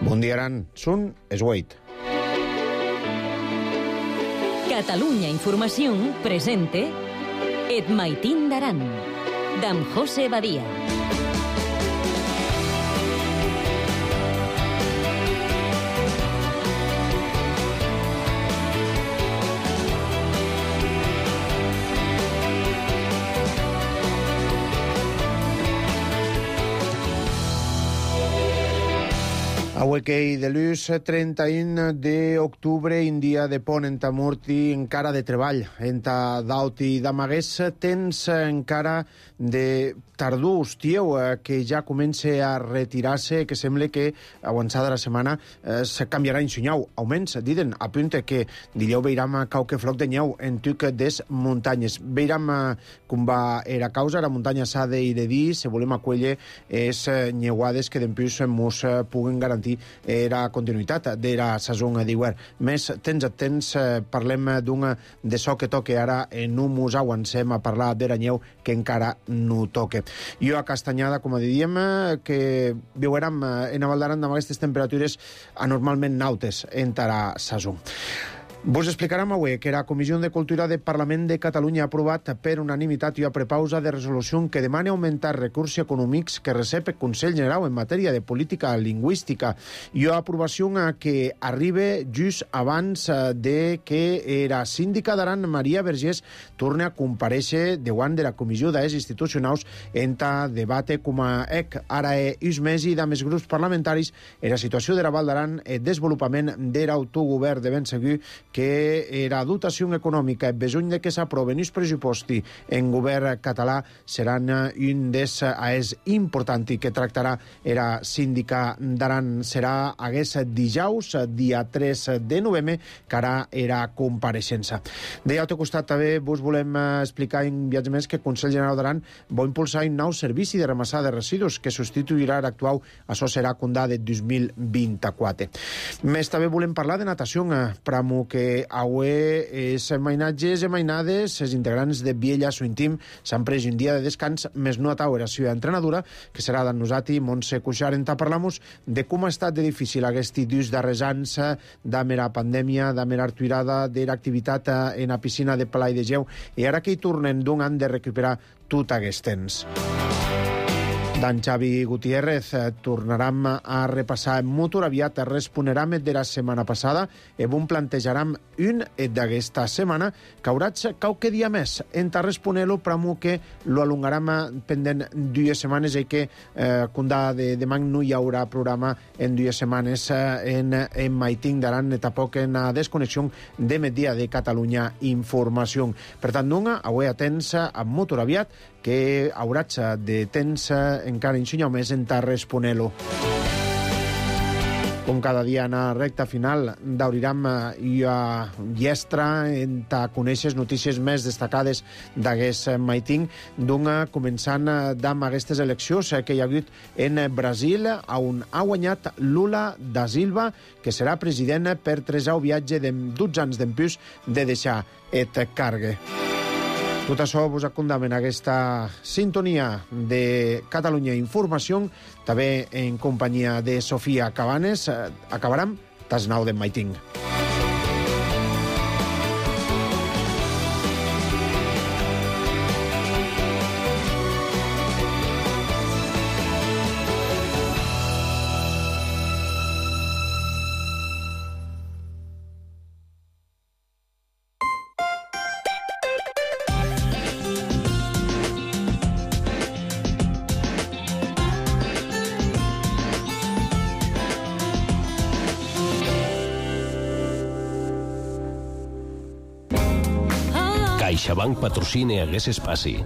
Bon dia, Aran. Sun es Wait. Catalunya Informació presente Et Maitín d'Aran, d'en José Badia. Avui que de l'ús 31 d'octubre, in dia de pont enta Murti, encara de treball. Enta Dauti d'Amagués, temps encara de tardor, hostieu, que ja comença a retirar-se, que sembla que avançada la setmana se canviarà en senyau. Auments, diden, apunta que dileu veiram qualque floc de nyeu en tuc des muntanyes. Veiram com va era causa, la muntanya s'ha de dir, se volem acollir és nyeuades que d'empús mos puguen garantir era continuïtat de la saison d'hivern. Més temps a temps parlem d'un de so que toque ara en un mos avancem a parlar de la nyeu que encara no toque. Jo a Castanyada, com diríem, que viurem en a Val d'Aran amb aquestes temperatures anormalment nautes en la saison. Vos explicarem avui que la Comissió de Cultura del Parlament de Catalunya ha aprovat per unanimitat i a prepausa de resolució que demana augmentar recursos econòmics que recep el Consell General en matèria de política lingüística i a aprovació que arriba just abans de que la síndica d'Aran, Maria Vergés, torni a comparèixer davant de la Comissió d'Afers Institucionals en debate com a ara és més i de més grups parlamentaris en la situació de la Val d'Aran, el desenvolupament de l'autogovern de ben segur que la dotació econòmica en besoin de que s'aproven els pressuposti en govern català seran un dels aes important i que tractarà la síndica d'Aran. Serà hagués dijous, dia 3 de novembre, que ara era compareixença. De l'altre costat també vos volem explicar en viatge més que el Consell General d'Aran vol impulsar un nou servici de ramassar de residus que substituirà l'actual. Això serà condà de 2024. Més també volem parlar de natació, pramo que avui els mainatges i mainades, els integrants de Viella Suintim, s'han pres un dia de descans, més no a taure la seva entrenadora, que serà d'en Nosati, Montse Cuixart, en parlamos de com ha estat de difícil aquest dius darrers anys, de la pandèmia, de la retirada de l'activitat en la piscina de Palai de Geu, i ara que hi tornen d'un any de recuperar tot aquest temps. D'en Xavi Gutiérrez tornarem a repassar molt aviat, responerem de la setmana passada i bon plantejarem un d'aquesta setmana que haurà qualque dia més en responer-lo, però que lo alongarem pendent 2 setmanes i que condà de demà no hi haurà programa en 2 setmanes en Maitín d'Aran, tampoc en la desconnexió de Migdia de Catalunya Informació. Per tant, avui atents amb molt aviat que haurà de temps encara ensenyar més en responer-lo. Com cada dia en la recta final d'Auriram i a Llestra en conèixer notícies més destacades d'aquest Maitín, començant amb aquestes eleccions que hi ha hagut en Brasil, on ha guanyat Lula da Silva, que serà president per 3 viatge de 12 anys d'empús de deixar el càrrec. Tot això vos acondam en aquesta sintonia de Catalunya Informació, també en companyia de Sofia Cabanes. Acabarem tas 9 de Maitín. CaixaBank patrocina aquest espai.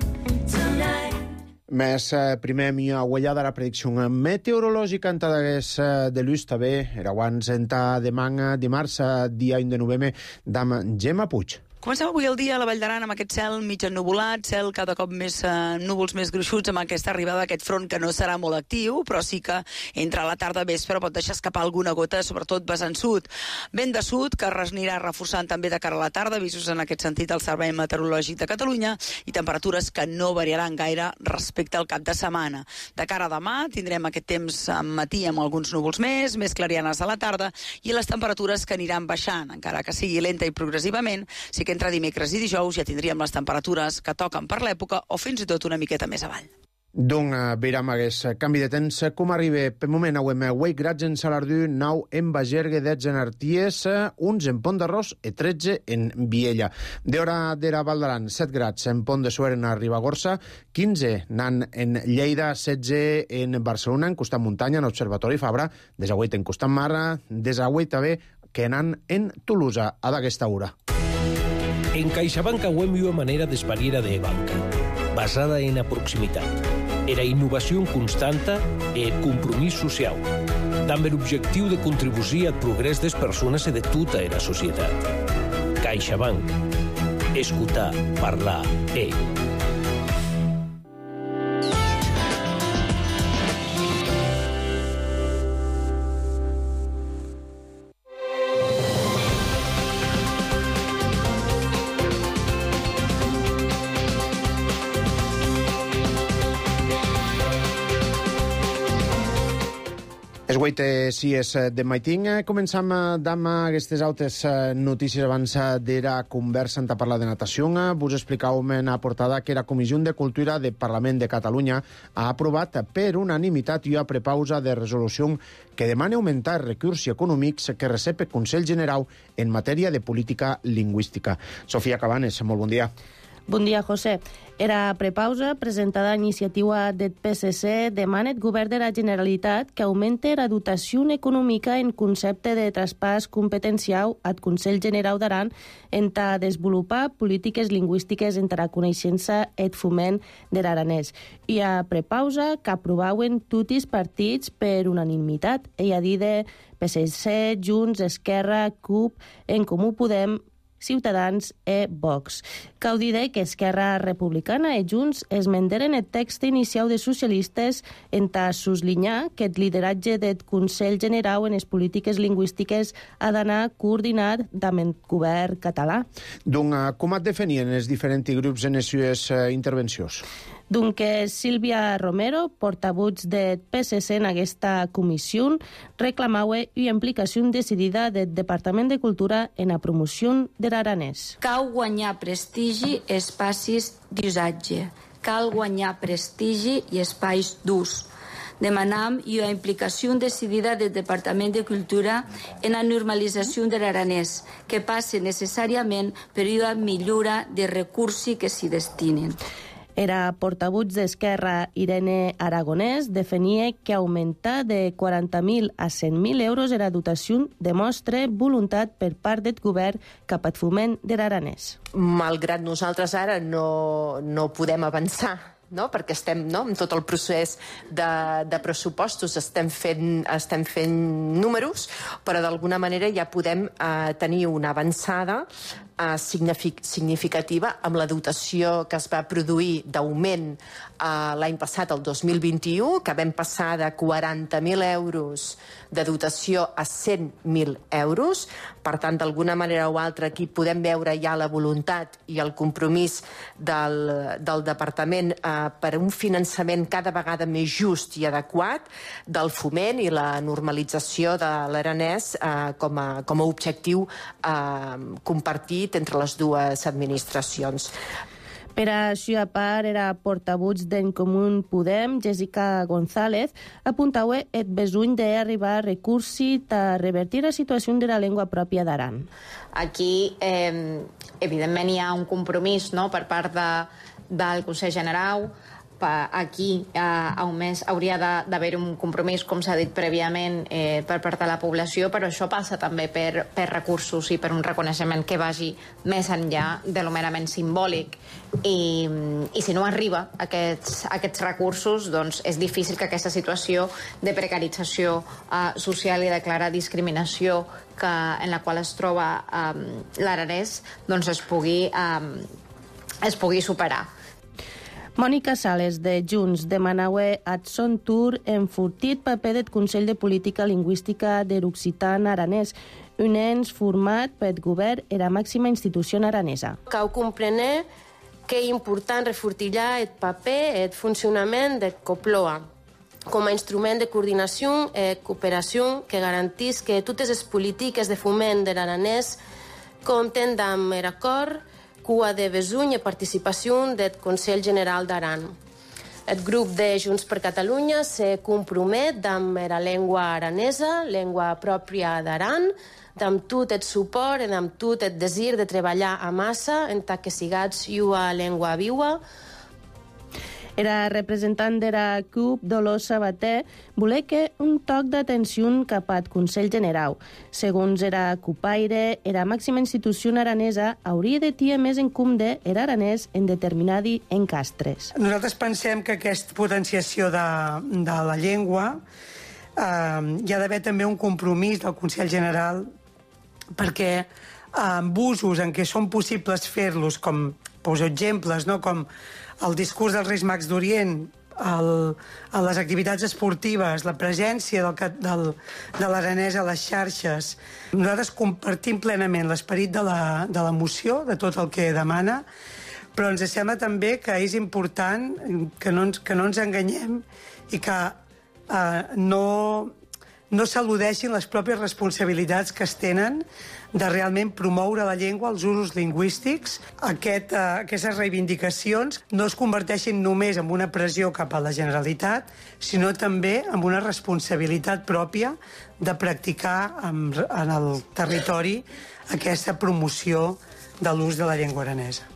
Més primer mi aguellada la predicció meteorològica en de l'ús també, era abans en demà dimarts, dia 1 de novembre, d'am Gemma Puig. Comencem avui el dia a la Vall d'Aran amb aquest cel mig ennuvolat, cel cada cop més núvols més gruixuts amb aquesta arribada d'aquest front que no serà molt actiu, però sí que entre la tarda i vespre pot deixar escapar alguna gota, sobretot vessant sud. Vent de sud que anirà reforçant també de cara a la tarda, avisos en aquest sentit al Servei Meteorològic de Catalunya, i temperatures que no variaran gaire respecte al cap de setmana. De cara a demà tindrem aquest temps al matí amb alguns núvols més clarianes a la tarda, i les temperatures que aniran baixant, encara que sigui lenta i progressivament. Sí que entre dimecres i dijous ja tindríem les temperatures que toquen per l'època o fins i tot una miqueta més avall. Donc, veiram aquest canvi de temps. Com arriba? Per moment, auem 8 grads en Salardú, 9 en Bagergue, 10 en Arties, 11 en Pont d'Arròs i 13 en Viella. D'hora d'era Val d'Aran, 7 grads en Pont de Suert en Ribagorça, 15 nan en Lleida, 16 en Barcelona, en Costat Muntanya, en Observatori Fabra, 18 en Costat Mar, 18 també que nan en Tolosa, a d'aquesta hora. En CaixaBank auem una manera d'espariera de banca, basada en la proximitat, era innovació constanta i compromís social, amb l'objectiu de contribuir al progrés des persones i de tota la societat. CaixaBank. Escoltar, parlar, Es 8:06 de maitín. Començam amb aquestes altres notícies abans d'era conversa en parlar de natació. Vos explicàvem en la portada que la Comissió de Cultura del Parlament de Catalunya ha aprovat per unanimitat i a prepausa de resolució que demana augmentar els recursos econòmics que recep el Consell General en matèria de política lingüística. Sofia Cabanes, molt bon dia. Bon dia, José. Era prepausa presentada a iniciativa del PSC demana el govern de la Generalitat que augmente la dotació econòmica en concepte de traspàs competencial al Consell General d'Aran en ta desenvolupar polítiques lingüístiques entre la coneixença i el foment de l'aranès. I a prepausa que aprovaven tots els partits per unanimitat. Ella dit de PSC, Junts, Esquerra, CUP, En Comú Podem, Ciutadans e Vox. Cal dir que Esquerra Republicana i Junts esmenteren el text inicial de socialistes en ta suslinyar que el lideratge del Consell General en les polítiques lingüístiques ha d'anar coordinat amb el govern català. Donc, com et definien els diferents grups en les seves intervencions? Donc, Sílvia Romero, portavoz del PSC en aquesta comissió, reclamava una implicació decidida del Departament de Cultura en la promoció de l'aranès. Cal guanyar prestigi i espacis d'usatge. Cal guanyar prestigi i espais d'ús. Demanam una implicació decidida del Departament de Cultura en la normalització de l'aranès, que passe necessàriament per una millora de recursos que s'hi destinen. Era portavoz d'Esquerra, Irene Aragonès, definia que augmentar de 40.000 a 100.000 euros la dotació demostra voluntat per part del govern cap al foment de l'aranès. Malgrat nosaltres ara no podem avançar, no? Perquè estem en tot el procés de pressupostos, estem fent números, però d'alguna manera ja podem tenir una avançada significativa amb la dotació que es va produir d'augment l'any passat, el 2021, que vam passar de 40.000 euros de dotació a 100.000 euros. Per tant, d'alguna manera o altra, aquí podem veure ja la voluntat i el compromís del Departament per un finançament cada vegada més just i adequat del foment i la normalització de l'aranès com a objectiu compartit entre les dues administracions. Per a seva part, era portavoz d'En Comú Podem, Jessica González, apuntava el besoll d'arribar a recursos per revertir la situació de la llengua pròpia d'Aran. Aquí, evidentment, hi ha un compromís per part del Consell General aquí a un mes hauria d'haver un compromís, com s'ha dit prèviament, per part de la població, però això passa també per recursos i per un reconeixement que vagi més enllà de lo merament simbòlic. I si no arriba a aquests recursos, doncs és difícil que aquesta situació de precarització social i de clara discriminació en la qual es troba l'aranès doncs es pugui superar. Mònica Sales, de Junts, demanaue ath son tour enfortit paper deth Consell de Política Lingüística der Occitan Aranès, un ens format peth govern era màxima institució aranesa. Cau comprener que és important refortillar el paper i el funcionament de COPLOA com a instrument de coordinació i cooperació que garantís que totes les polítiques de foment de l'aranès compten amb el acord cua de besuny i participació del Consell General d'Aran. El grup de Junts per Catalunya se compromet amb la llengua aranesa, llengua pròpia d'Aran, amb tot el suport i amb tot el desir de treballar a massa en tant que sigats una llengua viva. Era representant de la CUP, Dolors Sabater, voler que un toc d'atenció cap al Consell General. Segons era CUPaire, la màxima institució aranesa hauria de tenir més en compte l'aranès en determinats encastres. Nosaltres pensem que aquesta potenciació de la llengua hi ha d'haver també un compromís del Consell General perquè amb usos en què són possibles fer-los, com poso exemples, no? Com el discurs dels Reis Mags d'Orient, les activitats esportives, la presència de l'aranès a les xarxes. Nosaltres compartim plenament l'esperit de la moció, de tot el que demana, però ens sembla també que és important que no ens enganyem i que no s'al·ludeixin les pròpies responsabilitats que es tenen de realment promoure la llengua, els usos lingüístics. Aquestes reivindicacions no es converteixin només en una pressió cap a la Generalitat, sinó també en una responsabilitat pròpia de practicar en el territori aquesta promoció de l'ús de la llengua aranesa.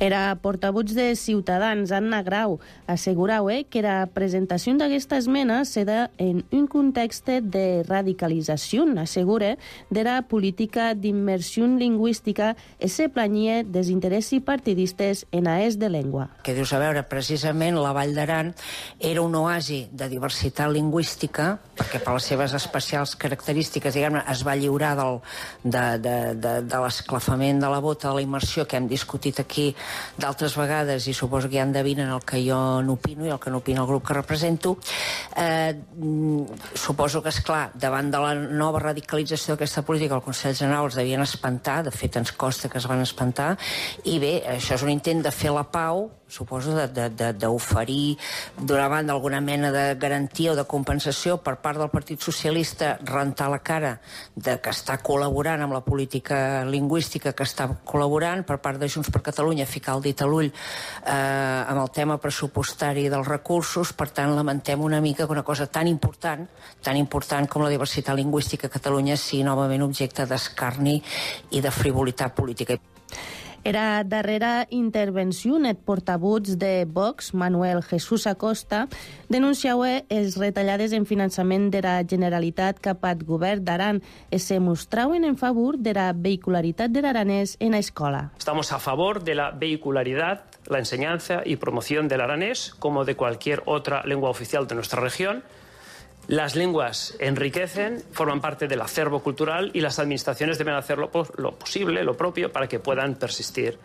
Era portavoz de Ciutadans, Anna Grau, assegurau que la presentació d'aquesta esmena se da en un context de radicalització, assegura, de la política d'immersió lingüística i se planyia dels interessos partidistes en aès de llengua. Que dius, a veure, precisament la Vall d'Aran era un oasi de diversitat lingüística, perquè per les seves especials característiques, diguem-ne, es va lliurar de l'esclafament de la bota, de la immersió que hem discutit aquí d'altres vegades, i suposo que ja endevinen el que jo n'opino i el que n'opina el grup que represento. Suposo que, esclar, davant de la nova radicalització d'aquesta política, el Consell General els devien espantar, de fet ens costa que es van espantar, i bé, això és un intent de fer la pau, suposo, d'oferir d'una banda alguna mena de garantia o de compensació per part del Partit Socialista, rentar la cara de que està col·laborant amb la política lingüística que està col·laborant, per part de Junts per Catalunya ficar el dit a l'ull amb el tema pressupostari dels recursos. Per tant, lamentem una mica que una cosa tan important com la diversitat lingüística a Catalunya sigui novament objecte d'escarni i de frivolitat política. Era darrera intervenció el portavoz de Vox, Manuel Jesús Acosta, denunciava les retallades en finançament de la Generalitat cap al govern d'Aran i se mostraven en favor de la vehicularitat de l'aranès en la escola. Estamos a favor de la vehicularidad, la enseñanza y promoción del aranés como de cualquier otra lengua oficial de nuestra región. Las lenguas enriquecen, forman parte del acervo cultural y las administraciones deben hacer lo posible, lo propio, para que puedan persistir.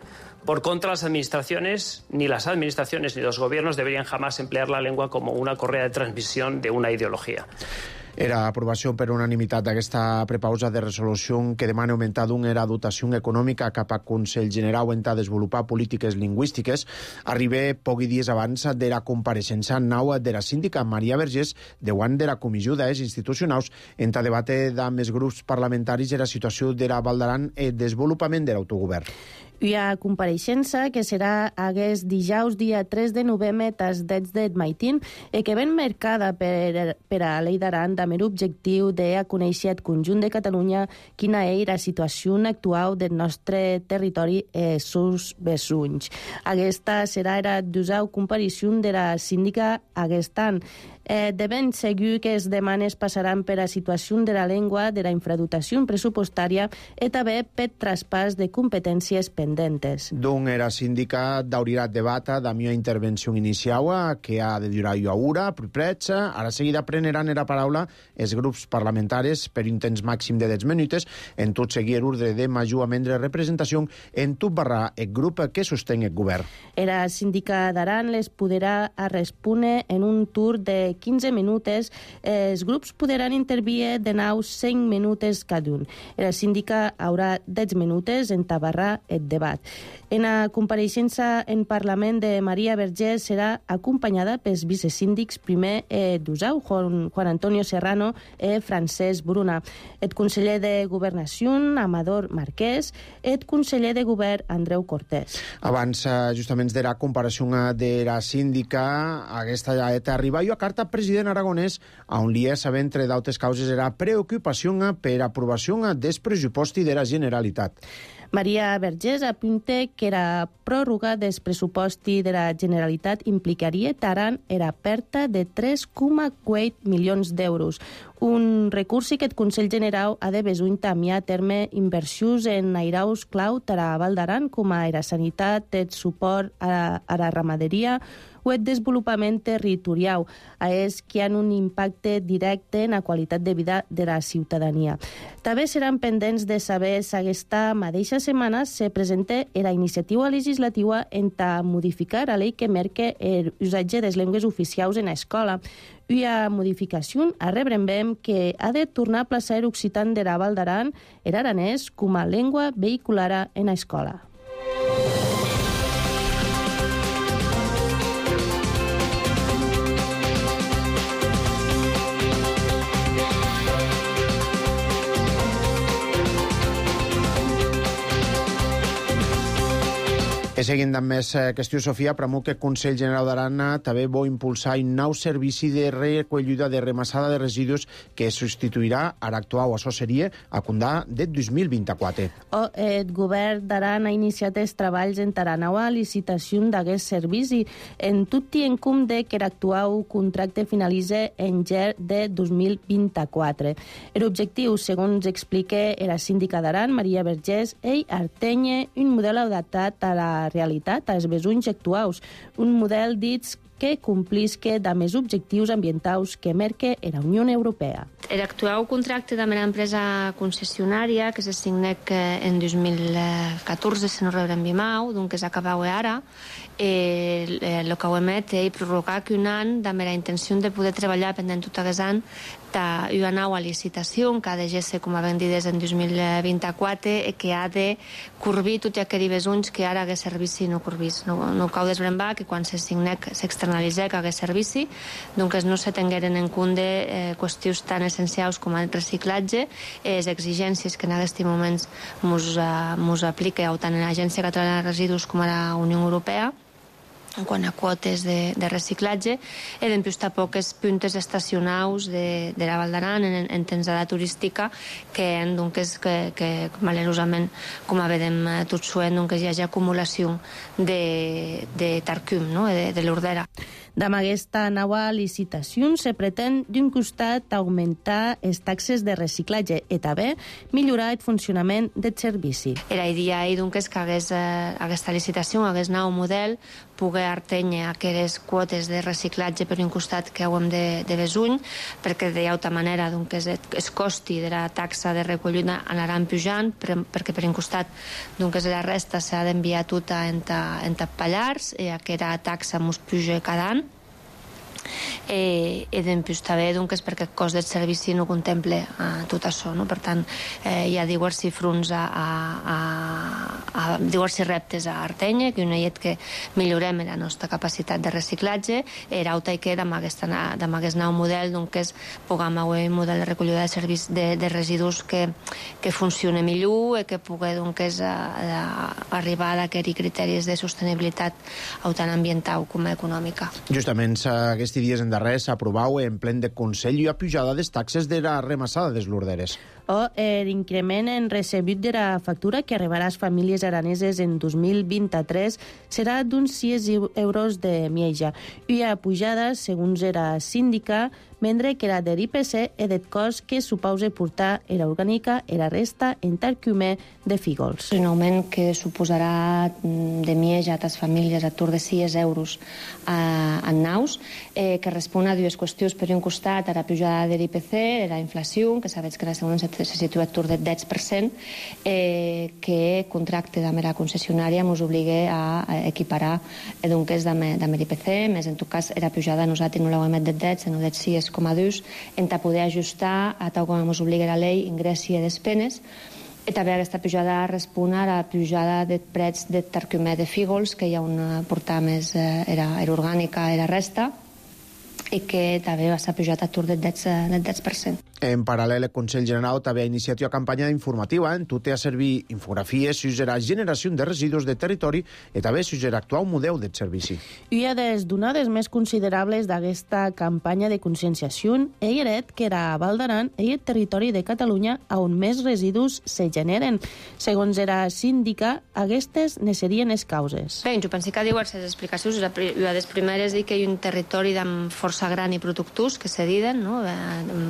Por contra, las administraciones ni los gobiernos deberían jamás emplear la lengua como una correa de transmisión de una ideología. Era aprovació per unanimitat d'aquesta prepausa de resolució que demana augmentar la dotació econòmica cap al Consell General en desenvolupar polítiques lingüístiques. Arriba pocs dies abans de la compareixença nau de la síndica Maria Vergés davant de la Comissió d'Aès Institucionals en debate amb els grups parlamentaris de la situació de la Val d'Aran i el desenvolupament de l'autogovern. Hi ha compareixença que serà aquest dijous dia 3 de novembre tas dets d'Ed Maitin e que ben marcada per a l'Ei d'Aran amb l'objectiu de conèixer el conjunt de Catalunya quina és la situació actual del nostre territori i sus vesuns. Aquesta serà la 12a comparició de la síndica aquest any. De ben segur que les demanes passaran per la situació de la llengua, de la infradotació pressupostària i també per traspàs de competències pendentes. Donc, era síndica d'hauria debata da mia intervenció inicial que ha de durar jo ora, prets. Ara seguida preneran la paraula els grups parlamentaris per un temps màxim de 10 minuts en tot seguir l'ordre de majorment de representació en tot barra el grup que sostén el govern. La síndica d'Aran les podrà respondre en un tour de 15 minuts. Els grups podran intervir de nou 5 minuts cada un. La síndica haurà 10 minuts en tabarrar el debat. En la compareixença en Parlament de Maria Vergés serà acompanyada pels vicesíndics primer d'Usau, Juan Antonio Serrano i Francesc Bruna, el conseller de Governació, Amador Marquès, i el conseller de Govern, Andreu Cortés. Abans, justament de la comparació de la síndica, aquesta ja arriba jo a carta president aragonès, on li és, entre d'altres causes, era preocupació per aprovació del pressupost de la Generalitat. Maria Vergés apunta que la pròrroga del pressupost de la Generalitat implicaria Taran la pèrdua de 3,8 milions d'euros. Un recurs que el Consell General ha de besuir també a terme inversions en airaus clau per a Val d'Aran, com a la sanitat, el suport a la ramaderia o el desenvolupament territorial, que han un impacte directe en la qualitat de vida de la ciutadania. També seran pendents de saber si aquesta mateixa setmana se presenta la iniciativa legislativa en modificar la llei que marca l'usatge de les llengües oficials en l'escola. Una modificació a rebrem que ha de tornar a plaçar l'occitan de la Val d'Aran, l'aranès, com a llengua vehicular en l'escola. Seguint amb més qüestió, Sofia, premou que el Consell General d'Aran també vol impulsar un nou servici de recollida de remassada de residus que substituirà a l'actual. Això seria a condar de 2024. El govern d'Aran ha iniciat els treballs en la nova licitació d'aquest servici, en tot i en compte que l'actual contracte finalitza en gener de 2024. L'objectiu, segons explica la síndica d'Aran, Maria Vergés, és atènyer un model adaptat a la realitat, als besuns actuals, un model dit que complisca amb els objectius ambientals que marca la Unió Europea. L'actual contracte amb l'empresa concessionària, que se signa en 2014, si no rebrem bimau, doncs que s'acaba ara, el que ho emet és prorrogar un any amb la intenció de poder treballar pendent tot aquest any una nova licitació que ha de ser, com havem dit, en 2024 i que ha de corbir tots aquells besuns que ara aquest servici no corbís. No cal desbrembar que quan se signa s'externalitza aquest servici, doncs no se tingueren en compte qüestions tan essencials com el reciclatge i les exigències que en aquests moments ens aplica tant en l'Agència Catalana de Residus com a la Unió Europea en quant a quotes de reciclatge, i després tampoc els puntes estacionals de la Val d'Aran en temporada turística que malerosament, com vedem tot suent, hi hagi acumulació de tarcum, de l'ordera. Amb aquesta nova licitació se pretén, d'un costat, augmentar les taxes de reciclatge i també millorar el funcionament del servici. La idea és que aquesta licitació, aquest nou model, pugui atènyer aquelles quotes de reciclatge per un costat que hem de besuny, perquè d'altra manera el costi de la taxa de recollida anirà pujant, perquè per un costat la resta s'ha d'enviar tota en Pallars i aquesta taxa ens puja cada any. i després també és perquè el cost del servici no contempla tot això, no? Per tant, hi ha diversos fronts a diversos reptes a Artenya, que una és que millorem la nostra capacitat de reciclatge, era auta i que amb aquest nou model puguem haver un model de recollida de serveis de residus que funcioni millor i que pugui arribar a aquells criteris de sostenibilitat tant ambiental com econòmica. Justament aquests dies endarrers s'aprovau en plen de Consell la pujada de les taxes de la remassada dels Lorderes. O l'increment en recebut de la factura que arribarà a les famílies araneses en 2023 serà d'uns 6 euros de mieja. I la pujada, segons era síndica, mentre que la de l'IPC és del cost que supose portar era orgànica i la resta en tarcumè de fígols. Un augment que suposarà de mieja a les famílies a tour de 6 euros en naus, que respon a dues qüestions. Per un costat, a la pujada de l'IPC, la inflació, que sabeu que la segona se situa a tour del 10%, que contracte de la concessionària ens obliga a equiparar amb l'IPC, més en tot cas la pujada nosaltres no l'hem del 10, sinó del 6,2, en poder ajustar a tal com ens obliga la llei ingressi i despenes. I també aquesta pujada respon a la pujada de preus de tarcumè de fígols, que hi ha una portada més era orgànica i la resta, i que també va ser pujat a tour del 10%. En paral·lel, el Consell General també ha iniciat una campanya informativa en tot a servir infografies sobre la generació de residus de territori i també sobre l'actual model de servici. I una de les donades més considerables d'aquesta campanya de conscienciació és que a Val d'Aran és el territori de Catalunya on més residus se generen. Segons era síndica, aquestes ne serien les causes. Bé, jo penso que hi ha diverses explicacions. Una de les primeres és que hi ha un territori amb força gran i productors que se diden, no?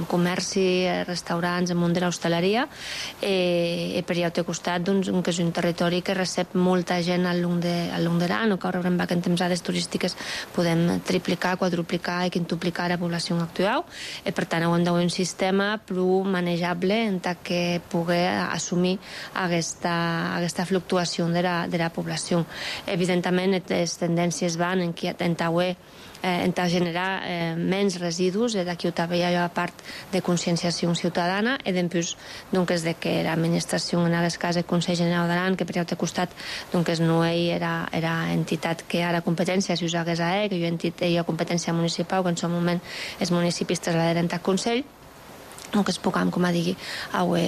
Comerci, restaurants, el món de l'hostaleria, i per allà al costat que és un territori que recep molta gent al long de l'any, o que ara en temporades turístiques podem triplicar, quadruplicar i quintuplicar la població actual, i per tant hem d'haver un sistema prou manejable en què pugui assumir aquesta fluctuació de la població. Evidentment, les tendències van en generar menys residus, d'aquí també hi ha part de conscienciació ciutadana, i després de que l'administració, en aquest cas el Consell General d'Aran, que per l'altre costat no era entitat que ara competència, si us hagués que hi ha competència municipal, que en aquest moment els municipis traslladaren al Consell, que es puguem, com a digui,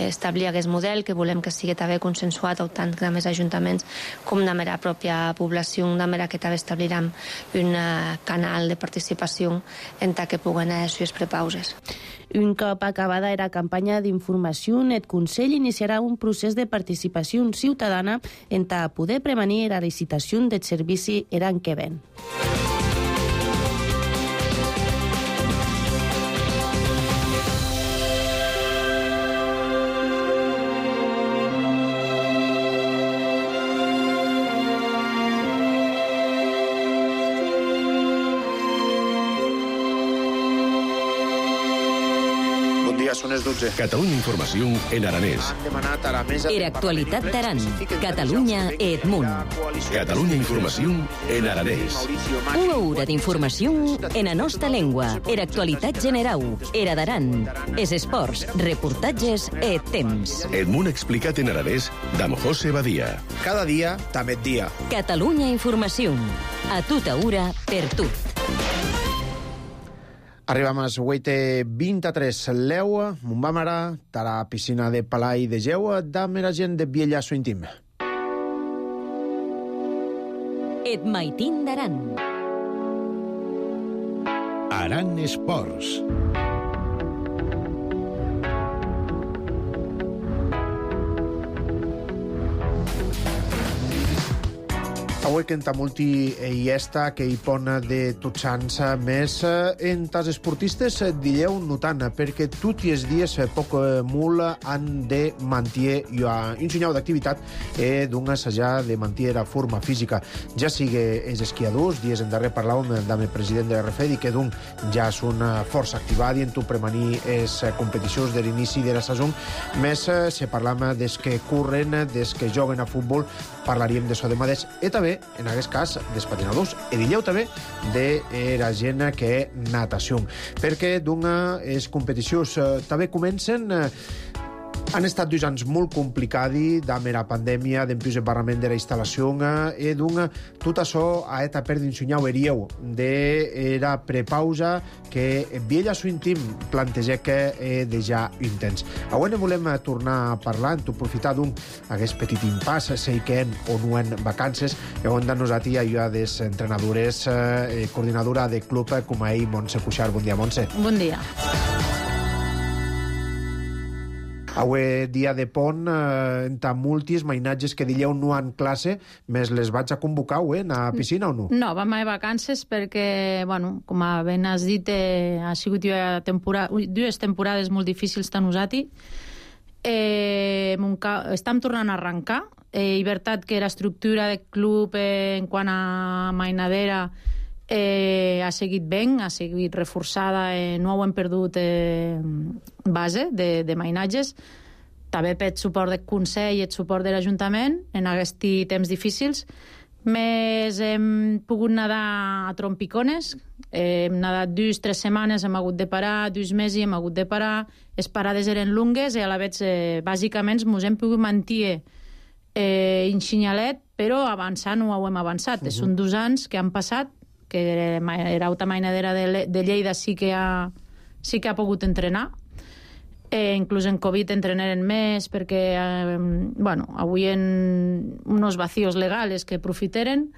establir aquest model, que volem que sigui també consensuat tant amb els ajuntaments com amb la pròpia població, de manera que també establirem un canal de participació en què puguen ser les prepauses. Un cop acabada la campanya d'informació, el Consell iniciarà un procés de participació ciutadana en poder prevenir la licitació del servici l'any que ven. Són les 12. Catalunya Informació en aranès. Era actualitat d'Aran. Catalunya et Munt. Catalunya Informació en aranès. Una hora d'informació en la nostra llengua. Era actualitat generau. Era d'Aran. Es esports, reportatges et temps. Et Munt explicat en aranès d'Am José Badia. Cada dia, també et dia. Catalunya Informació. A tota hora, per tu. Arribam a les 8:23. Leu, Montbamara, tara piscina de Palai de Geu, dame la gent de Biellasso Intim. Et Maitín d'Aran. Aran Esports. Avui que en Tamulti hi està, que hi pon de tots sants més en tas esportistes dilleu notant, perquè tots els dies poc molt han de mantenir un senyal d'activitat d'un assajar de mantenir la forma física. Ja sigui els esquiadors, dies en darrer parlàvem amb el president de l'RFEDI, que ja són força activats en premanir les competicions de l'inici de la saison, més se parlam des que corren, des que joguen a futbol, parlaríem d'això de mateix, i també en aquest cas, dels patinadors. E dileu també de la gent que natació. Perquè d'una les competicions també comencen... Han estat 2 anys molt complicats, amb la pandèmia, d'empius de barrament de la instal·lació, i tot això ha estat per d'insunyar verieu de la prepausa que Viella su intim planteja que de ja intens. Avui ne volem tornar a parlar, en aprofitar aquest petit impàs, sei que o no en vacances, i on nos a ti ayuda des entrenadores, coordinadora de club com a ell, Montse Cuixart. Bon dia, Montse. Bon dia. Avui dia de pont, entre moltes mainatges que dileu no han classe, més les vaig a convocar, a piscina o no? No, vam a vacances perquè, bueno, com ben has dit, ha sigut 2 temporades molt difícils per nosaltres. Estem tornant a arrencar. És veritat que l'estructura del club en quant a mainadera ha seguit ben, ha seguit reforçada, no hem perdut base de mainatges, també per suport del Consell i el suport de l'Ajuntament en aquests temps difícils. Més hem pogut nedar a trompicones, hem nedat 2-3 setmanes, hem hagut de parar, 2 mesos hem hagut de parar, les parades eren longues i a la vegada, bàsicament, ens hem pogut mantenir en xinyalet, però avançant no ho hem avançat. Són 2 anys que han passat, que era alta mainadera de Lleida sí que ha pogut entrenar. Inclús en Covid entrenaren més perquè, avui en uns vacíos legals que aprofiteren.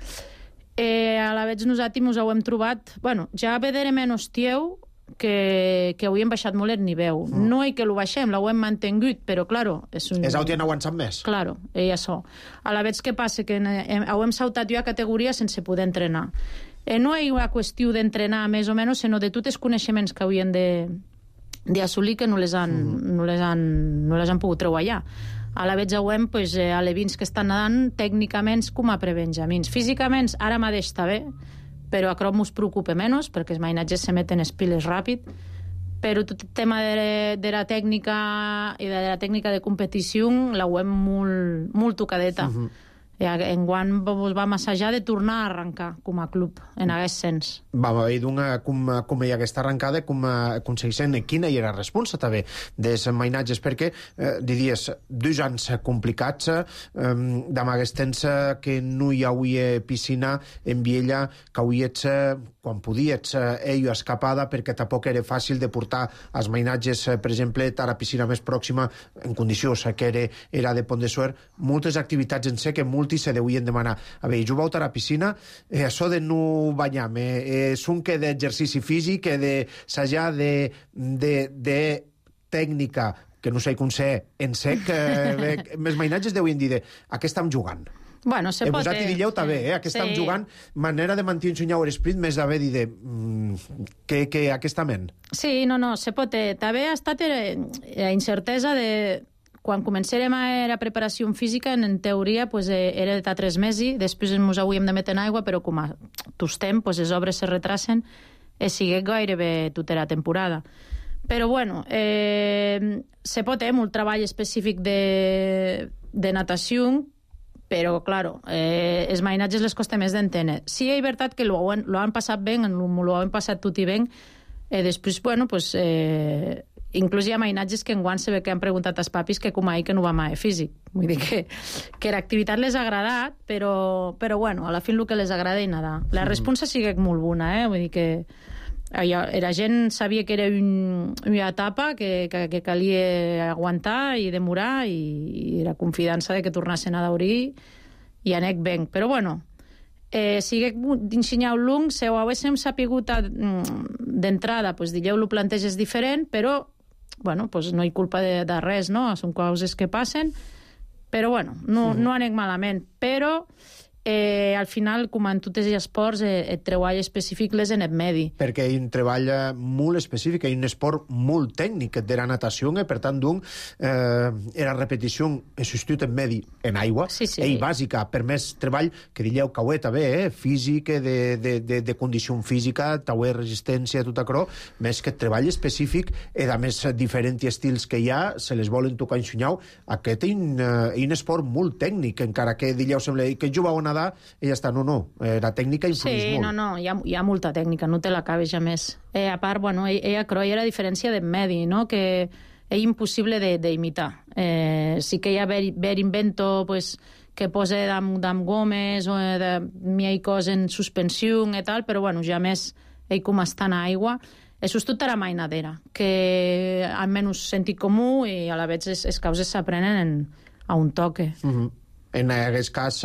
A la vegada nosaltres ens ho hem trobat... Ja vedrem en hostieu que avui hem baixat molt el nivell. No és que ho baixem, l'ho hem mantingut, però, claro... És altres han aguantat més. Claro, i això. A la vegada què passa? Que ho hem saltat jo a categoria sense poder entrenar. No és una qüestió d'entrenar més o menys, sinó de tots els coneixements que haurien d'assolir que no les han pogut treballar. A la vegada veiem alevins que estan nedant tècnicament com a prebenjamins. Físicament ara mateix està bé, però a crop ens preocupa menys perquè els mainatges se meten les piles ràpid, però tot el tema de la tècnica i de la tècnica de competició la veiem molt tocadeta. Enguany vam assajar de tornar a arrencar com a club en aquest sens. Vam haver com hi ha aquesta arrencada, com aconsegueixen quina hi era la responsa també dels mainatges, perquè diries 2 anys complicats, amb aquest temps que no hi havia piscina en Viella, que hauries quan podies escapada, perquè tampoc era fàcil de portar els mainatges, per exemple, a la piscina més pròxima en condicions que era de Pont de Suert. Moltes activitats en sé que molts se deuen demanar. A veure, jo vaig a la piscina, això de no banyar-me, és un que d'exercici físic, d'assajar de tècnica, que no sé com ser, en sec, més mainatges deuen dir a què estem jugant. Se pot... Vosaltres dilleu també, a què estem jugant, manera de mantenir el esprit, més d'haver dit que aquesta ment. Sí, no, se pot. També ha estat la incertesa de... Quan començarem a la preparació física, en teoria, era de 3 mesos, després ens hauríem de metre en aigua, però com a tostem, les obres se retracen i sigue gairebé tota la temporada. Però, se pot molt treball específic de natació, però, clar, els mainatges les costa més d'entendre. Sí, és veritat que lo han passat bé, lo han passat tot i bé, i després, inclús hi ha mainatges que enguany se ve que han preguntat als papis que com ahir que no va mai físic. Vull dir que l'activitat les ha agradat, però a la fi el que les agrada és nedar. La responsa sigue molt bona, vull dir que la gent sabia que era una etapa que calia aguantar i demorar i la confiança de que tornassen a daurir i anec ben. Però sigue d'ensenyar un long, si ho haguéssim sapigut d'entrada, dilleu lo planteges diferent, però no hi culpa de res, no? Són coses que passen, però no anem malament. Però al final, com en tots els esports, el treball específic les en el medi. Perquè hi ha un treball molt específic, hi ha un esport molt tècnic de la natació, per tant, la repetició és substitut en medi en aigua, i bàsica, per més treball que dilleu cauet també, físic, de condició física, tauer resistència, tot això, més que treball específic, i a més diferents estils que hi ha, se les volen tocar ensenyar. Aquest és un esport molt tècnic, encara que dilleu sembla que jugau a nedar i ja està. No, la tècnica influeix molt. No, hi ha molta tècnica, no te l'acabes ja més. A part, bueno, ella croia la diferència de medi, no?, que és impossible d'imitar. Sí que hi ha ver invento, pues, que posa d'am gomes o de miei cos en suspensió i tal, però bueno, ja més ell com està en aigua. Això és tota la mainadera, que almenys sentit comú i a la vegada les causes s'aprenen a un toque. En aquest cas,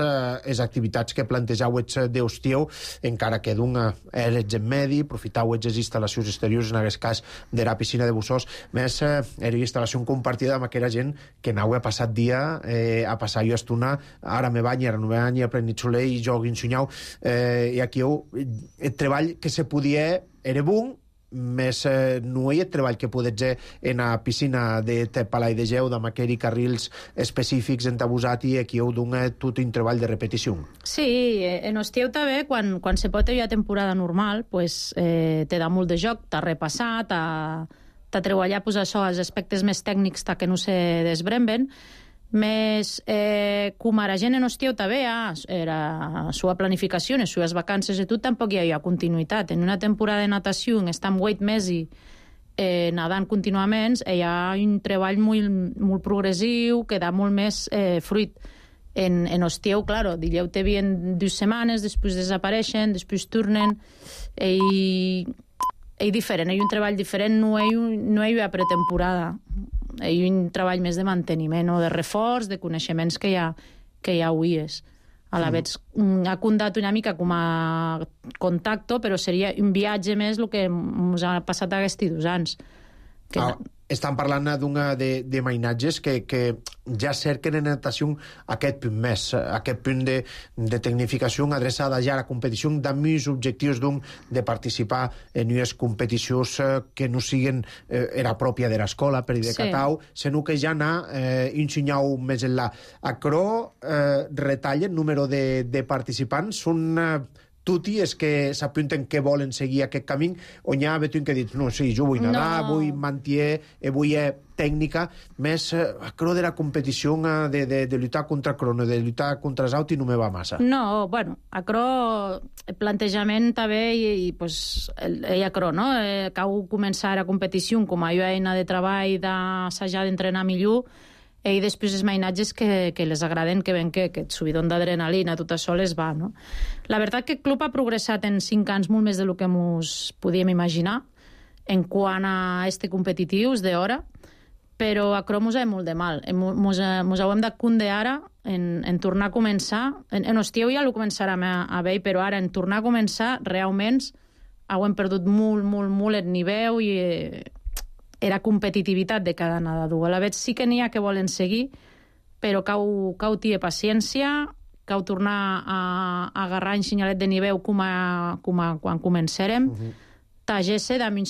les activitats que plantejauets d'Hostieu, encara que d'un eres en medi, aprofitauets les instal·lacions exteriors, en aquest cas de la piscina de Bussós, més era instal·lació compartida amb aquella gent que anau a passar dia a passar jo estona, ara me banyi, ara no me banyi, a prenit soler i jo guinsunyau, i aquí el treball que se podia era bon, més no hi ha treball que podes fer en la piscina de Palai de Geu, amb aquells carrils específics entabusat i aquí heu d'un tot un treball de repetició. Sí, en Hostieu també, quan se pot haver temporada normal, pues, te da molt de joc, t'ha repassat, t'ha treballat pues, això, els aspectes més tècnics que no se desbremben, més com a gent en Hostieu també era sua planificació, les sues vacances i tot, tampoc hi havia continuïtat. En una temporada de natació estem 8 mesos nadant contínuament, hi ha un treball molt progressiu que da molt més fruit. En Hostieu, claro, dileu te vien 2 setmanes, després desapareixen, després tornen, i diferent, hi ha un treball diferent, no hi ha pretemporada. Hi ha un treball més de manteniment o de reforç, de coneixements que hi ha avui. A la vegada ha contat una mica com a contacte, però seria un viatge més el que ens ha passat aquests 2 anys. Estan parlant de mainatges que ja cerquen en natació aquest punt més, aquest punt de tecnificació adreçada ja a la competició, amb els objectius de participar en unes competicions que no siguin era pròpia de l'escola, per dir de Catau, sinó que ja anar ensenyau més enllà. Acro retallen número de participants, són tutti és que s'apunten que volen seguir aquest camí, on hi ha un que dius, no, sí, jo vull nedar, vull mantier, vull tècnica, més acro de la competició de lluitar contra crono, de lluitar contra els autos, no me va massa. No, bueno, acro, plantejament també, i pues, ell acro, no? Cau començar a competició com a eina de treball, d'assajar, d'entrenar millor, i després els mainatges que les agraden, que ven que el subidon d'adrenalina, tot això les va, no? La veritat que el club ha progressat en 5 anys molt més del que ens podíem imaginar en quant a competitius d'hora, però a Crom mos ha molt de mal. Mos hem de cunde ara en tornar a començar. En Hostieu ja ho començarem a veure, però ara en tornar a començar realment hem perdut molt el nivell i era competitivitat de cada nedador. A la vegada sí que n'hi ha que volen seguir, però cau tia paciència, cau tornar a agarrar un senyalet de nivell com quan començarem, tagesse d'am un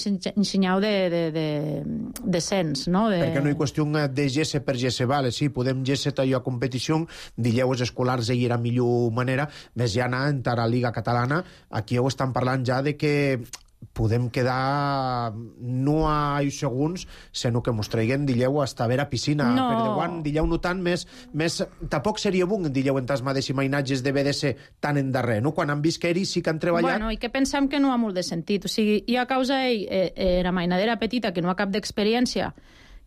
senyal de sens, no? Perquè no hi qüestió de gesse per gesse, vale, sí, podem gesse allò a competició, dileu els escolars hi era millor manera, més ja anar a la Liga Catalana, aquí ho estan parlant ja de que podem quedar no a segons, sinó que mos traiguem, dileu, hasta a veure piscina. No. Per de dileu no tant, més tampoc seria bon, dileu, en tas mateixos mainatges de BDS tan en darrer, no? Quan han vist que ells sí que han treballat... Bueno, i que pensem que no ha molt de sentit. O sigui, hi ha causa la mainadera petita que no ha cap d'experiència,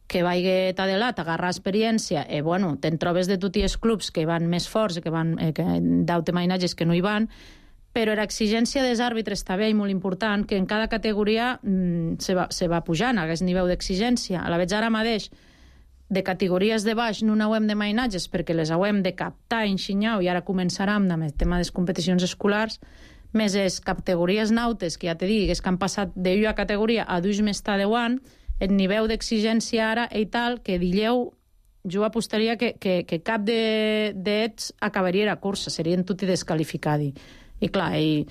que vagi t'adelat, agarrar experiència, bueno, te'n trobes de tots els clubs que van més forts, que van d'aute mainatges que no hi van, però l'exigència dels àrbitres també és molt important, que en cada categoria se va pujant a aquest nivell d'exigència. A la vegada ara mateix, de categories de baix no n'hauem de mainatges perquè les hauem de captar, ensenyar, i ara començarem amb el tema de les competicions escolars, més les categories nautes, que ja te dic, que han passat d'una categoria a 2 més de 10 anys, el nivell d'exigència ara i tal, que dileu, jo apostaria que cap d'ells acabaria la cursa, serien tots desqualificats. I clar, el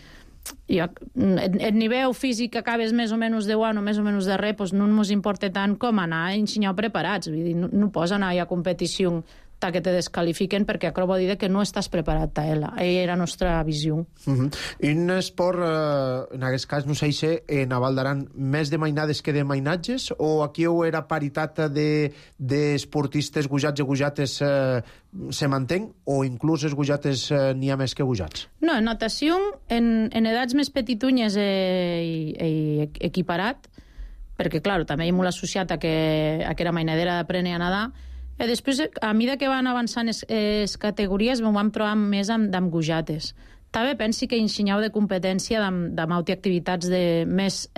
nivell físic que acabes més o menys de guany o més o menys de res, no ens importa tant com anar a ensenyar preparats. Vull dir, no pots anar a competició que te descalifiquen perquè aquerò vol dir que no estàs preparat a ella. Era la nostra visió. Un esport, en aquest cas, no sé si en Val d'Aran més de mainades que de mainatges, o aquí era paritat d'esportistes gujats i gujates se mantén, o inclús els gujates n'hi ha més que gujats? No, en natació, en edats més petitunyes equiparat, perquè, clar, també hi hem molt associat a que era mainadera d'aprendre a nedar. Després, a mesura que van avançant les categories, vam trobar més amb gujates. També pensi que ensenyau de competència d'amauti activitats més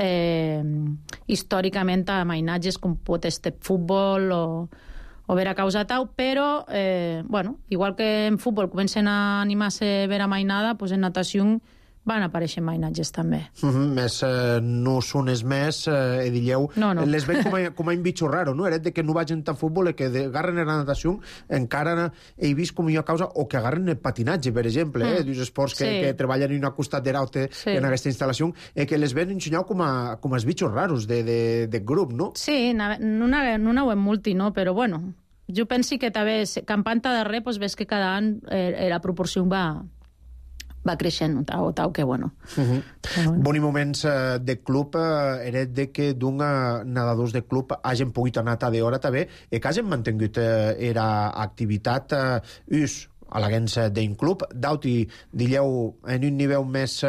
històricament a mainatges, com pot ser futbol o ver a causa tau, però, igual que en futbol comencen a animar-se ver a mainada, doncs en natació van aparèixer mainatges també. Més no són els més, dilleu, les veig com a un bitxo raro, no? Eret de que no vagin tant futbol i que agarren la natació, encara he vist com hi ha causa, o que agarren el patinatge, per exemple, dels esports que treballen en una costat de l'altre en aquesta instal·lació, que les ven ensenyau com a els bitxos raros de grup, no? Sí, no ho hem multi, no? Però, bueno, jo penso que també, campant darrer, ves que cada any la proporció va creixent, o tal, que bueno. Boni moments de club, eret de que d'un nedadors de club hagin pogut anar a d'hora també, i que hagin mantingut era activitat a l'agents d'un club, d'auti, dilleu, en un nivell més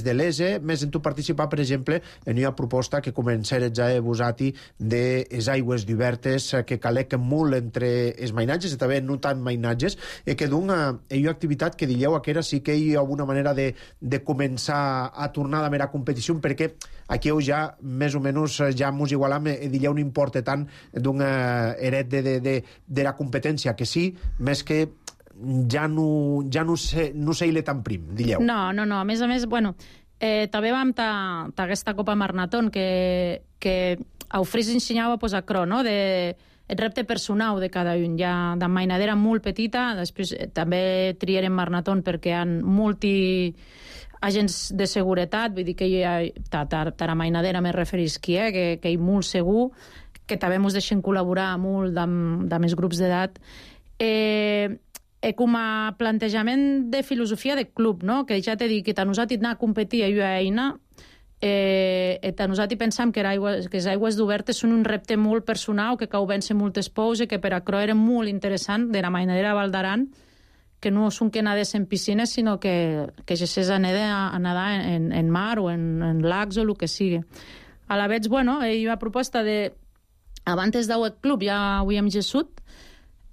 de l'ESE, més en tu participar, per exemple, en una proposta que començaré ja a vos-ati de les aigües divertes que calequen molt entre els mainatges, i també no tant mainatges, i que d'una activitat que dilleu que era sí que hi ha alguna manera de començar a tornar a la mera competició, perquè aquí ja, més o menys, ja mos igualam, dilleu no importa tant d'un heret de la competència, que sí, més que ja no sé tan prim, dilleu. No, a més, bueno, també vam aquesta Copa Marnaton que a Ofris ensenyava a cro, no?, el repte personal de cada un. Ja de mainadera molt petita, després també triarem Marnaton perquè hi ha multi agents de seguretat, vull dir que hi ha tara mainadera me referís que hi ha molt segur, que també ens deixen col·laborar molt amb els grups d'edat. Com a plantejament de filosofia de club, no? Que ja t'he dit que nosaltres anar a competir a una eina, nosaltres pensam que les aigües d'obertes són un repte molt personal, que cau vèncer moltes pous i que per a cro era molt interessant de la mainadera Val d'Aran, que no són que nadés en piscines, sinó que gessés a nedar en mar o en lacs o el que sigui. A la veig, bueno, hi ha proposta de abans d'Auet Club ja ho hem gessut,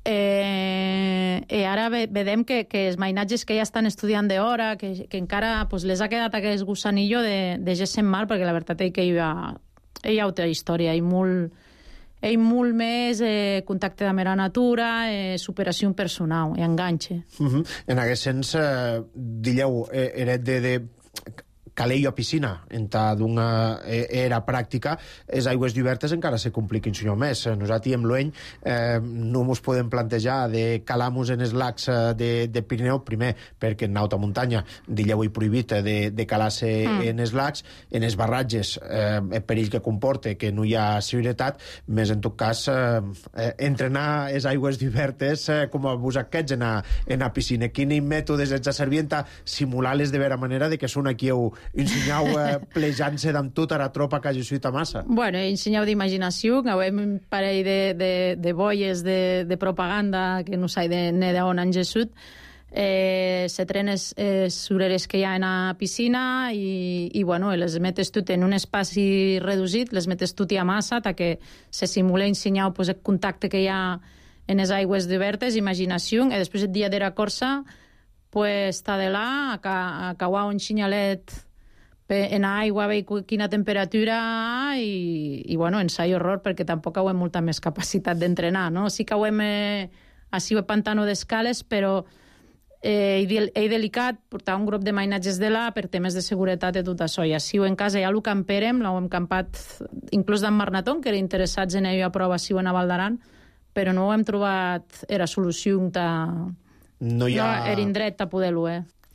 i ara vedem que els mainatges que ja estan estudiant d'hora, que encara les ha quedat aquest gusanillo de gest en mar, perquè la veritat és que hi ha altra història, hi ha molt més contacte amb la natura, superació personal i enganxe. En aquest sens, dilleu, eret de calei a piscina, d'una era pràctica, les aigües divertes encara se compliquin senyor més. Nosaltres amb l'any no ens podem plantejar de calar-nos en els lacs de Pirineu, primer perquè en alta muntanya dilleu i prohibit de calar-se en els lacs, en els barratges el perill que comporta que no hi ha seguretat, més en tot cas entrenar les aigües divertes com a vos aquests en la piscina. Quins mètodes ens servien a simular-les de vera manera de que són aquí ensenyau plejant-se d'amb tota la tropa que hagi suït a massa? Bueno, ensenyau d'imaginació, que hem un parell de boies de propaganda que no s'ha de nedar on han gessut. Se trenen les sureres que hi ha en la piscina i bueno, les metes tot en un espai reduït, les metes tot a massa, que se simula ensenyau el contacte que hi ha en les aigües divertes, imaginació, i després el dia de la corsa està de là, a cauar un xinyalet en aigua, veure quina temperatura i bueno, ensai horror, perquè tampoc hem molta més capacitat d'entrenar, no? Sí que hem així el pantano d'escales, però he delicat portar un grup de mainatges de là per temes de seguretat i tot això. I així en casa ja ho camperem, l'hem campat inclús d'en Marnaton, que era interessats en ell a prova així en Val d'Aran, però no hem trobat era solució era indret a poder-ho,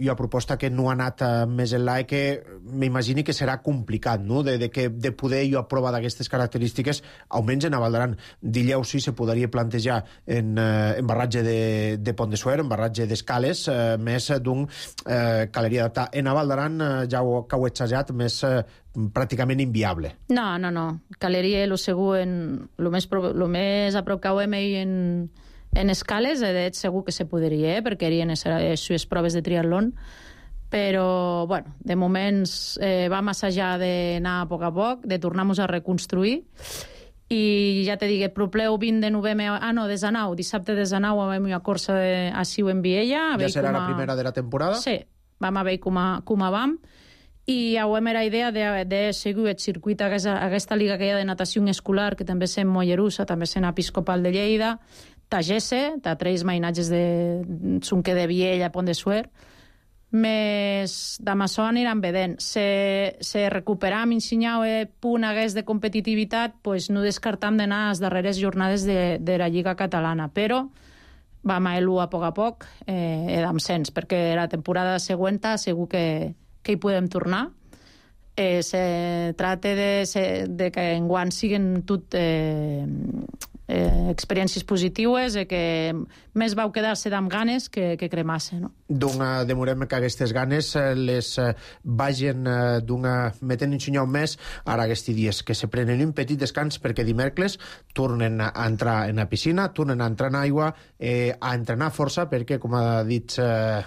i una proposta que no ha anat més enllà i que m'imagini que serà complicat, no?, de poder jo aprovar d'aquestes característiques, almenys en Val d'Aran. Dilleu sí se podria plantejar en barratge de Pont de Suert, en barratge d'Escales, més d'un caleria adaptada. En Val d'Aran, ja que ho he xajat, més pràcticament inviable. No. Caleria, lo segur, lo més a prop que ho hem en Escales, segur que se podria, perquè serien les proves de triatlon, però, bueno, de moments vam assajar d'anar a poc, de tornar-nos a reconstruir, i ja te dic, el propleu 20 de novembre, de Zanau, dissabte de Zanau, vam una corsa a Siu en Viella. Ja serà la primera de la temporada? Sí, vam a veure com vam, i avui era idea de seguir el circuit aquesta liga que hi ha de natació escolar, que també és en Mollerussa, també és en Episcopal de Lleida, Tagesse, tres mainatges de Sunque de Viella, Pont de Suert, més d'amassó aniran vedent. Se recuperam, ensenyau punt hagués de competitivitat, pues no descartam d'anar a les darreres jornades de la Lliga Catalana, però vam a a poc, edam sens, perquè la temporada següent segur que hi podem tornar. Se trata de que enguany siguin tot experiències positives, que més vau quedar-se amb ganes que cremar-se, no? Demorem que aquestes ganes les vagin metent ensenyar un mes ara aquests dies, que se prenen un petit descans perquè dimecres tornen a entrar en la piscina, tornen a entrar en aigua, a entrenar força, perquè, com ha dit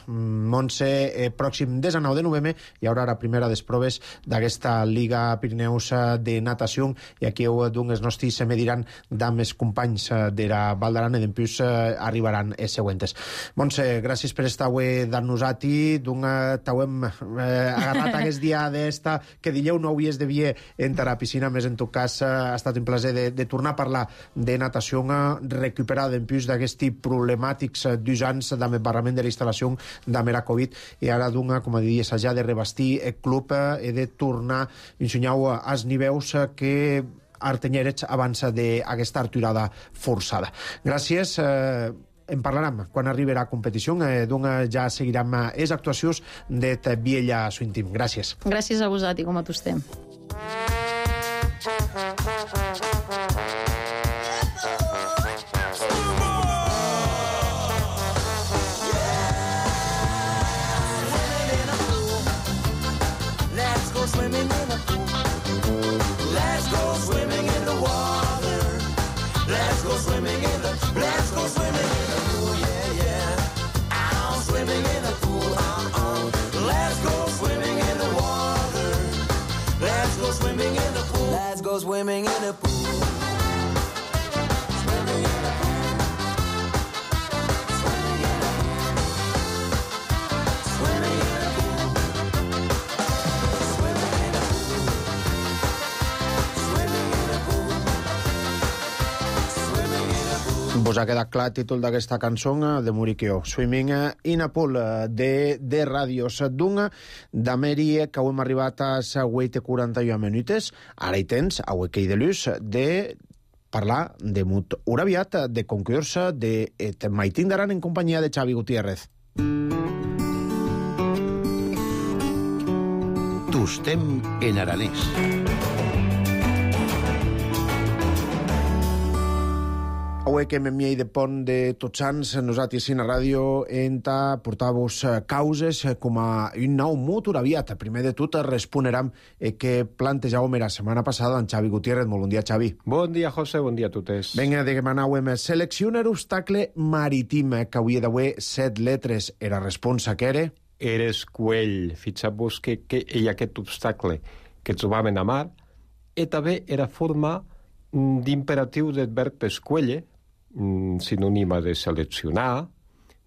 Montse, pròxim 19 de novembre hi haurà la primera de les proves d'aquesta Liga Pirineus de natació, i aquí els nostres se mediran amb els companys de la Val d'Aran, i després arribaran els següents. Montse, gràcies per estar avui dar-nos a ti, t'hem agarrat aquest dia d'esta, que dilleu no havies de vier entrar a la piscina, més en tot cas ha estat un plaer de tornar a parlar de natació, recuperar després d'aquests problemàtics 2 anys amb el barrament de la instal·lació amb la Covid, i ara com diries, ja de revestir el club i de tornar a ensenyar als nivells que artenyerets abans d'aquesta arturada forçada. Gràcies. En parlarem quan arribi la competició, ja seguirem les actuacions de Viella Swim Team. Gràcies. Gràcies a vosaltres, com a tu estem. Swimming in a pool. Swimming in a pool. Swimming in a pool. Swimming in a pool. Swimming in a pool. Swimming in a pool. Vos ha quedat clar el títol d'aquesta cançó de Muriqueo, Swimming in a Pool, de Ràdios Dunga, d'Amèria, que hem arribat a les 8:41 minuts. Ara hi tens, a Huequei de Luz, de parlar de mut uraviat, de concurs de Maitín d'Aran en companyia de Xavi Gutiérrez. Tostem en aranès. Avui que m'enviei de pont de Tots Sants, nosaltres a la ràdio enta portar-vos causes com a un nou mut uraviat. Primer de tot responerem que plantejàvem la setmana passada en Xavi Gutiérrez. Molt bon dia, Xavi. Bon dia, José, bon dia a totes. Vinga, demanàvem seleccionar obstacle marítim, que avui d'avui 7 letres. Era responsa que era? Era escuell. Fixeu-vos que hi ha aquest obstacle que trobaven a mar, i també era forma d'imperatiu del verb escuelle, sinònima de seleccionar,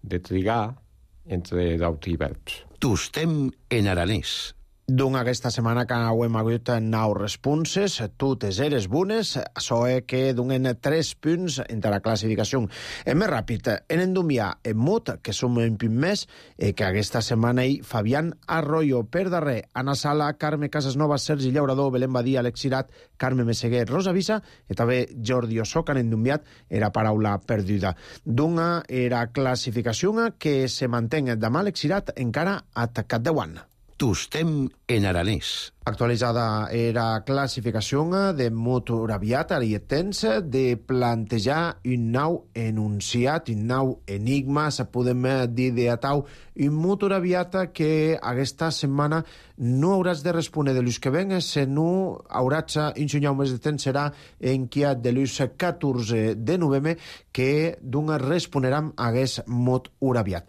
de trigar, entre d'altres verbs. Tostem en aranès. Doncs aquesta setmana que hem hagut 9 responses, totes eres bones, això és que donen 3 punts entre la classificació. Més ràpid, en Endumià, en Mut, que som un punt més, que aquesta setmana hi Fabián Arroyo, per darrer, Anna Sala, Carme Casasnova, Sergi Llaurador, Belén Badia, Alex Cirat, Carme Messeguer, Rosa Visa, i també Jordi Osoc han endumiat era paraula perduda. D'una era classificació que se mantén demà Alex Cirat encara a Tacat de Guan. Tostem en aranès. Actualitzada era classificació de motor aviat, ara hi tens, de plantejar un nou enunciat, un nou enigma, se podem dir de atau, un motor aviat que aquesta setmana no hauràs de respondre de l'ús que ven, sinó hauràs ensenyar un mes de temps, serà en qui de l'ús 14 de novembre, que d'una respondrem a aquest motor aviat.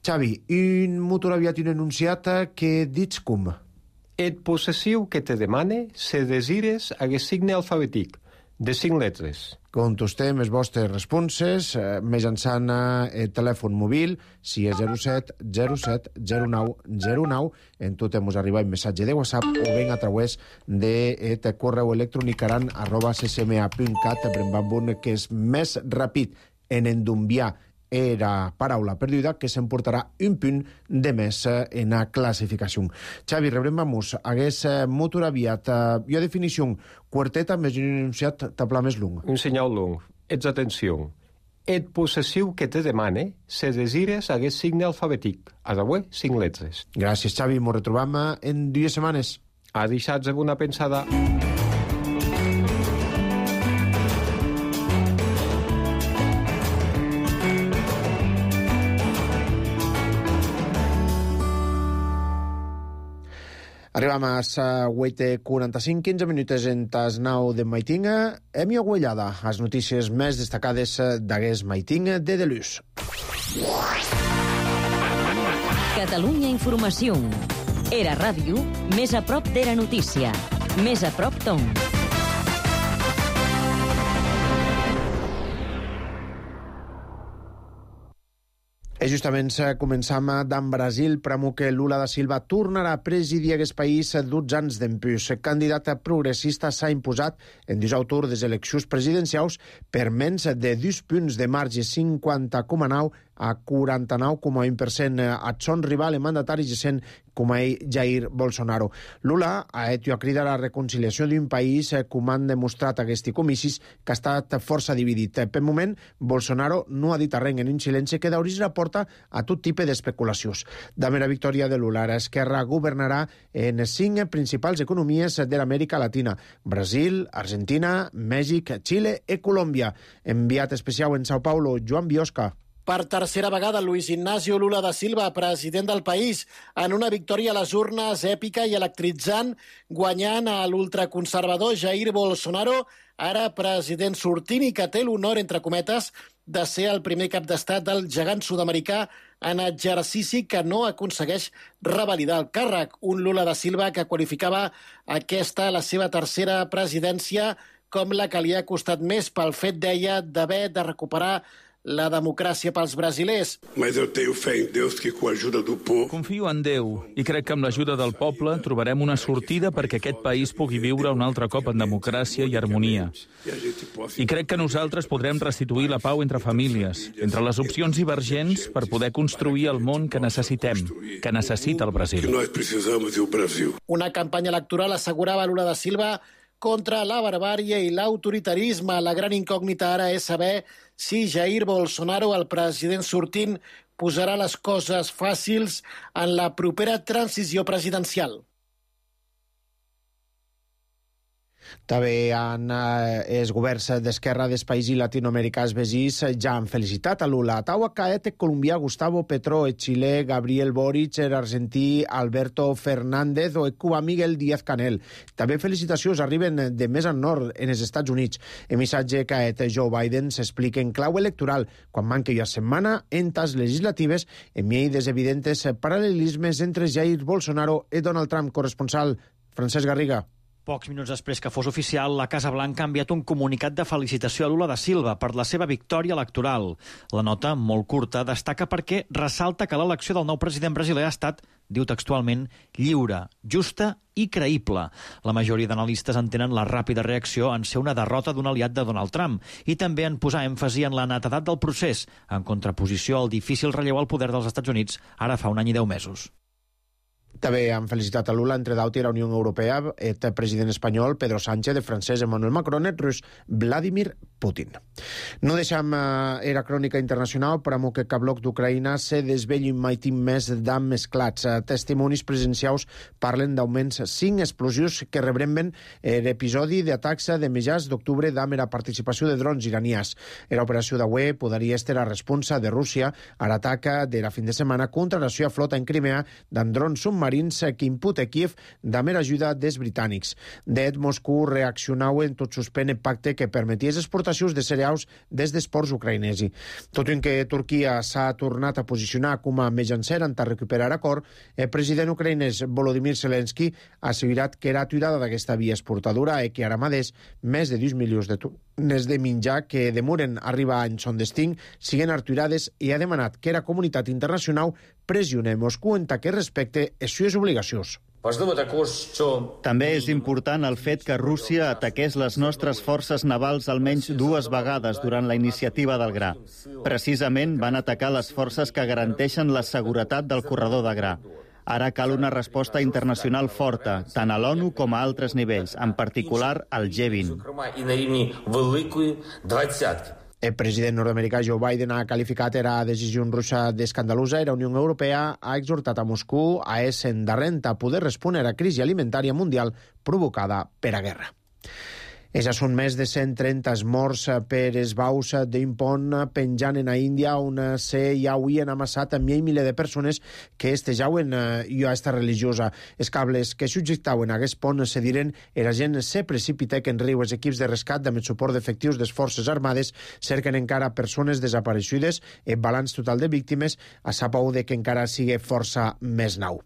Xavi, un motor aviat i un enunciat que dits com? Et possessiu que te demane se desires hagués signe alfabètic, de 5 lletres. Contestem les vostres responses mitjançant el telèfon mòbil, si és 07 07 09 09, en tot ens arriba un missatge de WhatsApp o ben a través del correu electrònic aran@ccma.cat, brembambun, que és més ràpid en endumbiar era paraula perduda, que s'emportarà un punt de més en la classificació. Xavi, rebrem vamos, hagués motor aviat, i a definició, quarteta més un enunciat tabla més long. Un senyal long. Ets atenció. Et possessiu que te demane se desires hagués signe alfabètic. A d'avui, 5 lletres. Gràcies, Xavi. Ens retrobam en 2 setmanes. A deixats amb una pensada. Arribam a les 8:45, 15 minuts en tas 9 de Maitinga. Hem aguellada les notícies més destacades d'aquest Maitinga de Delús. Catalunya Informació. Era ràdio, més a prop d'Era Notícia. Més a prop d'on. I justament començam d'en Brasil, pramo que Lula da Silva tornarà a presidir aquest país 12 anys d'empús. El candidat progressista s'ha imposat en 18 des eleccions presidencials per menys de 2 punts de marge, 50,9 a 49,1% a son rival en mandatari recent com a Jair Bolsonaro. Lula ha hecho a cridar a la reconciliació d'un país com han demostrat aquests comicis que ha estat força dividit. Per moment, Bolsonaro no ha dit res en un silenci que d'obrir la porta a tot tipus d'especulacions. Damb la victòria de Lula, Esquerra governarà en 5 principals economies de l'Amèrica Latina: Brasil, Argentina, Mèxic, Xile i Colòmbia. Enviat especial en Sao Paulo, Joan Biosca. Per tercera vegada, Luis Ignacio Lula da Silva, president del país, en una victòria a les urnes èpica i electritzant, guanyant a l'ultraconservador Jair Bolsonaro, ara president sortint i que té l'honor, entre cometes, de ser el primer cap d'estat del gegant sud-americà en exercici que no aconsegueix revalidar el càrrec. Un Lula da Silva que qualificava aquesta, la seva tercera presidència, com la que li ha costat més pel fet, deia, d'haver de recuperar la democràcia pels brasilers. Mas eu tenho fé em Deus que com a ajuda do povo... Confio en Déu i crec que amb l'ajuda del poble trobarem una sortida perquè aquest país pugui viure un altre cop en democràcia i harmonia. I crec que nosaltres podrem restituir la pau entre famílies, entre les opcions divergents per poder construir el món que necessitem, que necessita el Brasil. Que nós precisamos e o Brasil. Una campanya electoral, assegurava Lula da Silva, contra la barbàrie i l'autoritarisme. La gran incògnita ara és saber si Jair Bolsonaro, el president sortint, posarà les coses fàcils en la propera transició presidencial. També els governs d'esquerra dels països latinoamericans vegis ja han felicitat a Lula. Taua caet colombià Gustavo Petro, el xilè Gabriel Boric, l'argentí Alberto Fernández o el cubà Miguel Díaz-Canel. També felicitacions arriben de més al nord, en els Estats Units. El missatge caet Joe Biden s'explica en clau electoral quan manca una setmana en tas legislatives en meio dels evidents paral·lelismes entre Jair Bolsonaro i Donald Trump. Corresponsal Francesc Garriga. Pocs minuts després que fos oficial, la Casa Blanca ha enviat un comunicat de felicitació a Lula da Silva per la seva victòria electoral. La nota, molt curta, destaca perquè ressalta que l'elecció del nou president brasiler ha estat, diu textualment, lliure, justa i creïble. La majoria d'analistes entenen la ràpida reacció en ser una derrota d'un aliat de Donald Trump i també en posar èmfasi en la netedat del procés, en contraposició al difícil relleu al poder dels Estats Units ara fa un any i 10 mesos. També han felicitat a Lula, entre d'altres, la Unió Europea, el president espanyol Pedro Sánchez, el francès Emmanuel Macron, el rus Vladimir Putin. No deixem era crònica internacional, però amb que bloc d'Ucraïna se desvellin mai més d'am mesclats. Testimonis presencials parlen d'augments 5 explosius que rebremben l'episodi d'atacs de mitjans d'octubre d'am la participació de drons iranians. Era operació d'avui podria estar la responsa de Rússia a l'atac de la fin de setmana contra la seva flota en Crimea d'en drons submarins que imputa Kiev d'haver ajuda dels britànics. D'et, Moscou reaccionau en tot suspèn el pacte que permeties exportacions de cereals des dels ports ucraïnesi. Tot i que Turquia s'ha tornat a posicionar com a mitjancer en recuperar acord, el president ucraïnès Volodymyr Zelensky ha assegurat que era aturada d'aquesta via exportadora i que ara mateix més de 2 milions de tones de menjar que demoren arribar en son destí siguen aturades i ha demanat que la comunitat internacional pressione Moscou en que respecte les seves obligacions. També és important el fet que Rússia ataqués les nostres forces navals almenys 2 vegades durant la iniciativa del gra. Precisament van atacar les forces que garanteixen la seguretat del corredor de gra. Ara cal una resposta internacional forta, tant a l'ONU com a altres nivells, en particular al G20. El president nord-americà Joe Biden ha qualificat la decisió russa d'escandalosa i la Unió Europea ha exhortat a Moscou a ésser endarrent a poder respondre a la crisi alimentària mundial provocada per la guerra. Això són més de 130 morts per esbaus d'un pont penjant en a Índia on ja avui han amassat miler de persones que estejaven a esta religiosa. Els cables que subjectaven a aquest pont se diren i la gent se precipita que en riu els equips de rescat amb el suport d'efectius de les forces armades cerquen encara persones desapareixudes. El balanç total de víctimes a sapau de que encara sigui força més nou.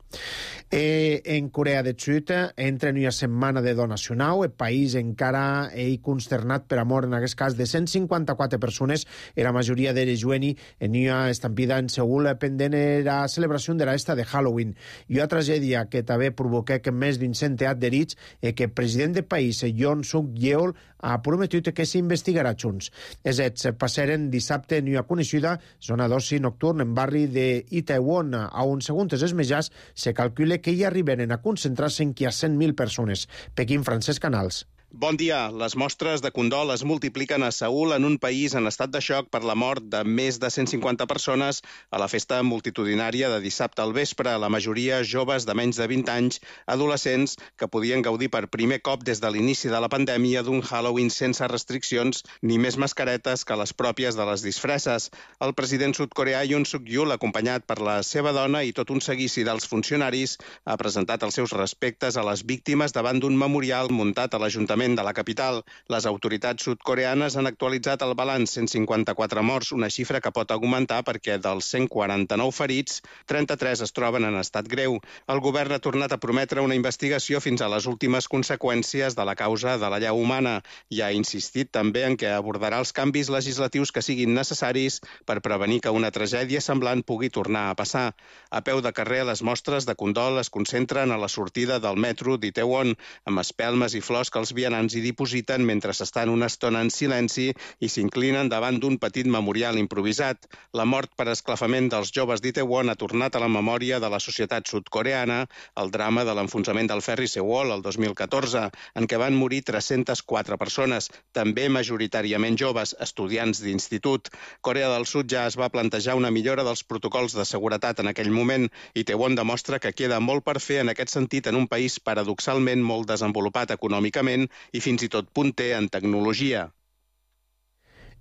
En Corea del Sud entra en una setmana de donacional. El país encara consternat per amor en aquest cas de 154 persones, la majoria d'elles jueni en una estampida en Seul pendent la celebració de l'esta de Halloween. I una tragèdia que també provoca que més d'un centenar d'herits que el president del país, Yoon Suk-yeol, ha prometut que s'investigarà junts. Els fets passaren dissabte en una coneixida zona d'oci nocturn en barri d'Itaewon, on, segons els metges, se calcula que hi arribaren a concentrar-se en qui a 100.000 persones. Pequín, Francesc Canals. Bon dia. Les mostres de condol es multipliquen a Seül en un país en estat de xoc per la mort de més de 150 persones a la festa multitudinària de dissabte al vespre, la majoria joves de menys de 20 anys, adolescents que podien gaudir per primer cop des de l'inici de la pandèmia d'un Halloween sense restriccions ni més mascaretes que les pròpies de les disfresses. El president sud-coreà Yoon Suk-yeol, acompanyat per la seva dona i tot un seguici dels funcionaris, ha presentat els seus respectes a les víctimes davant d'un memorial muntat a l'Ajuntament de la capital. Les autoritats sud-coreanes han actualitzat el balanç 154 morts, una xifra que pot augmentar perquè dels 149 ferits, 33 es troben en estat greu. El govern ha tornat a prometre una investigació fins a les últimes conseqüències de la causa de la llau humana i ha insistit també en què abordarà els canvis legislatius que siguin necessaris per prevenir que una tragèdia semblant pugui tornar a passar. A peu de carrer, les mostres de condol es concentren a la sortida del metro d'Itaewon, amb espelmes i flors que els vianants hi dipositen mentre s'estan una estona en silenci i s'inclinen davant d'un petit memorial improvisat. La mort per esclafament dels joves d'Itaewon ha tornat a la memòria de la societat sud-coreana el drama de l'enfonsament del ferri Sewol el 2014, en què van morir 304 persones, també majoritàriament joves, estudiants d'institut. Corea del Sud ja es va plantejar una millora dels protocols de seguretat en aquell moment. Itaewon demostra que queda molt per fer en aquest sentit en un país paradoxalment molt desenvolupat econòmicament i fins i tot punter en tecnologia.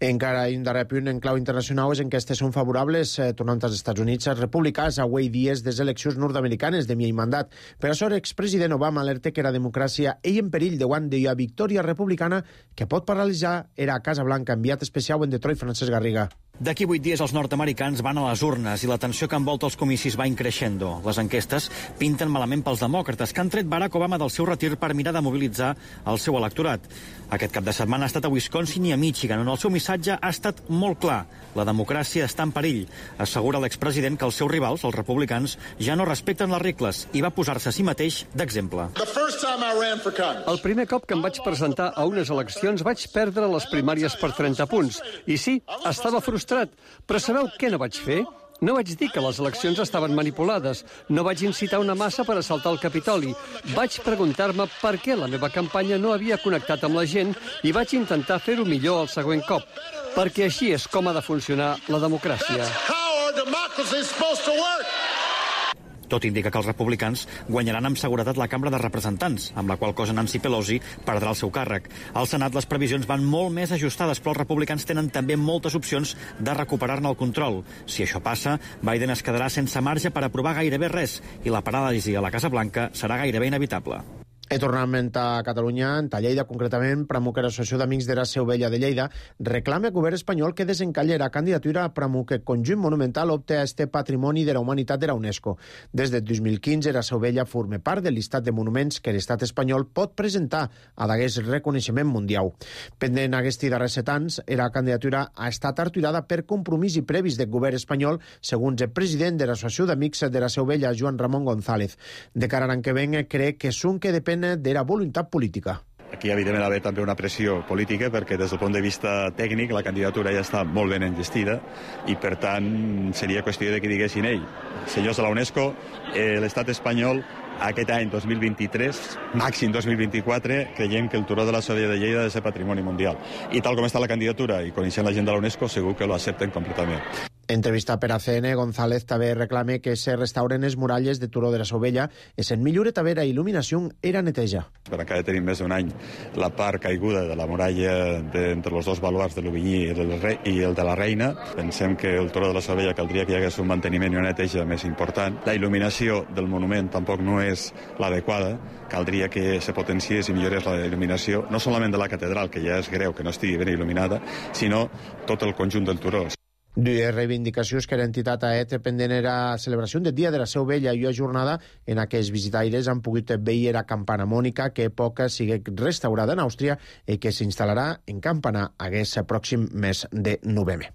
Encara un darrer punt en clau internacional és enquestes són favorables, tornant als Estats Units, els republicans a avui dies des eleccions nord-americanes de mi mandat. Per això, l'expresident Obama alerta que la democràcia és en perill davant d'una victòria republicana que pot paralitzar era a Casa Blanca. Enviat especial en Detroit, Francesc Garriga. D'aquí 8 dies els nord-americans van a les urnes i la tensió que envolta els comicis va increixendo. Les enquestes pinten malament pels demòcrates, que han tret Barack Obama del seu retir per mirar de mobilitzar el seu electorat. Aquest cap de setmana ha estat a Wisconsin i a Michigan, on el seu missatge ha estat molt clar. La democràcia està en perill. Assegura l'expresident que els seus rivals, els republicans, ja no respecten les regles i va posar-se a si mateix d'exemple. El primer cop que em vaig presentar a unes eleccions vaig perdre les primàries per 30 punts. I sí, estava frustrat. Però sabeu què no vaig fer? No vaig dir que les eleccions estaven manipulades. No vaig incitar una massa per assaltar el Capitoli. Vaig preguntar-me per què la meva campanya no havia connectat amb la gent i vaig intentar fer-ho millor el següent cop. Perquè així és com ha de funcionar la democràcia. Tot indica que els republicans guanyaran amb seguretat la Cambra de Representants, amb la qual cosa Nancy Pelosi perdrà el seu càrrec. Al Senat les previsions van molt més ajustades, però els republicans tenen també moltes opcions de recuperar-ne el control. Si això passa, Biden es quedarà sense marge per aprovar gairebé res i la paràlisi a la Casa Blanca serà gairebé inevitable. I tornament a Catalunya, a Lleida concretament, Pramuc, l'Associació d'Amics de la Seu Vella de Lleida, reclama al govern espanyol que desencalli la candidatura a Pramuc, conjunt monumental opta a este patrimoni de la humanitat de la UNESCO. Des del 2015, la Seu Vella forma part del llistat de monuments que l'estat espanyol pot presentar a d'aquest reconeixement mundial. Pendent aquests darrers 7 anys, la candidatura ha estat aturada per compromís i previs del govern espanyol, segons el president de l'Associació d'Amics de la Seu Vella, Joan Ramon González. De cara a l'any que ven, crec que és un que depèn de la voluntat política. Aquí, evidentment, ha d'haver també una pressió política perquè, des del punt de vista tècnic, la candidatura ja està molt ben enllestida i, per tant, seria qüestió de que diguessin senyors de la UNESCO, l'estat espanyol aquest any 2023, màxim 2024, creiem que el Turó de la Seu de Lleida ha de ser patrimoni mundial. I tal com està la candidatura i coneixent la gent de la UNESCO, segur que lo accepten completament. Entrevista per ACN, González també reclama que se restauren les muralles de Turó de la Seu Vella i se'n millore també la il·luminació era neteja. Per encara tenim més d'un any la part caiguda de la muralla entre els dos baluards de l'Ovinyí i el de la Reina. Pensem que el Turó de la Seu Vella caldria que hi hagués un manteniment i una neteja més important. La il·luminació del monument tampoc no és l'adequada. Caldria que se potenciés i millorés la il·luminació, no solament de la catedral, que ja és greu que no estigui ben il·luminada, sinó tot el conjunt del Turó. Dues reivindicacions que l'entitat AET pendent era celebració del Dia de la Seu Vella i una jornada en què els visitaires han pogut veure la campana mònica que poca sigui restaurada en Àustria i que s'instal·larà en Campanar aquest pròxim mes de novembre.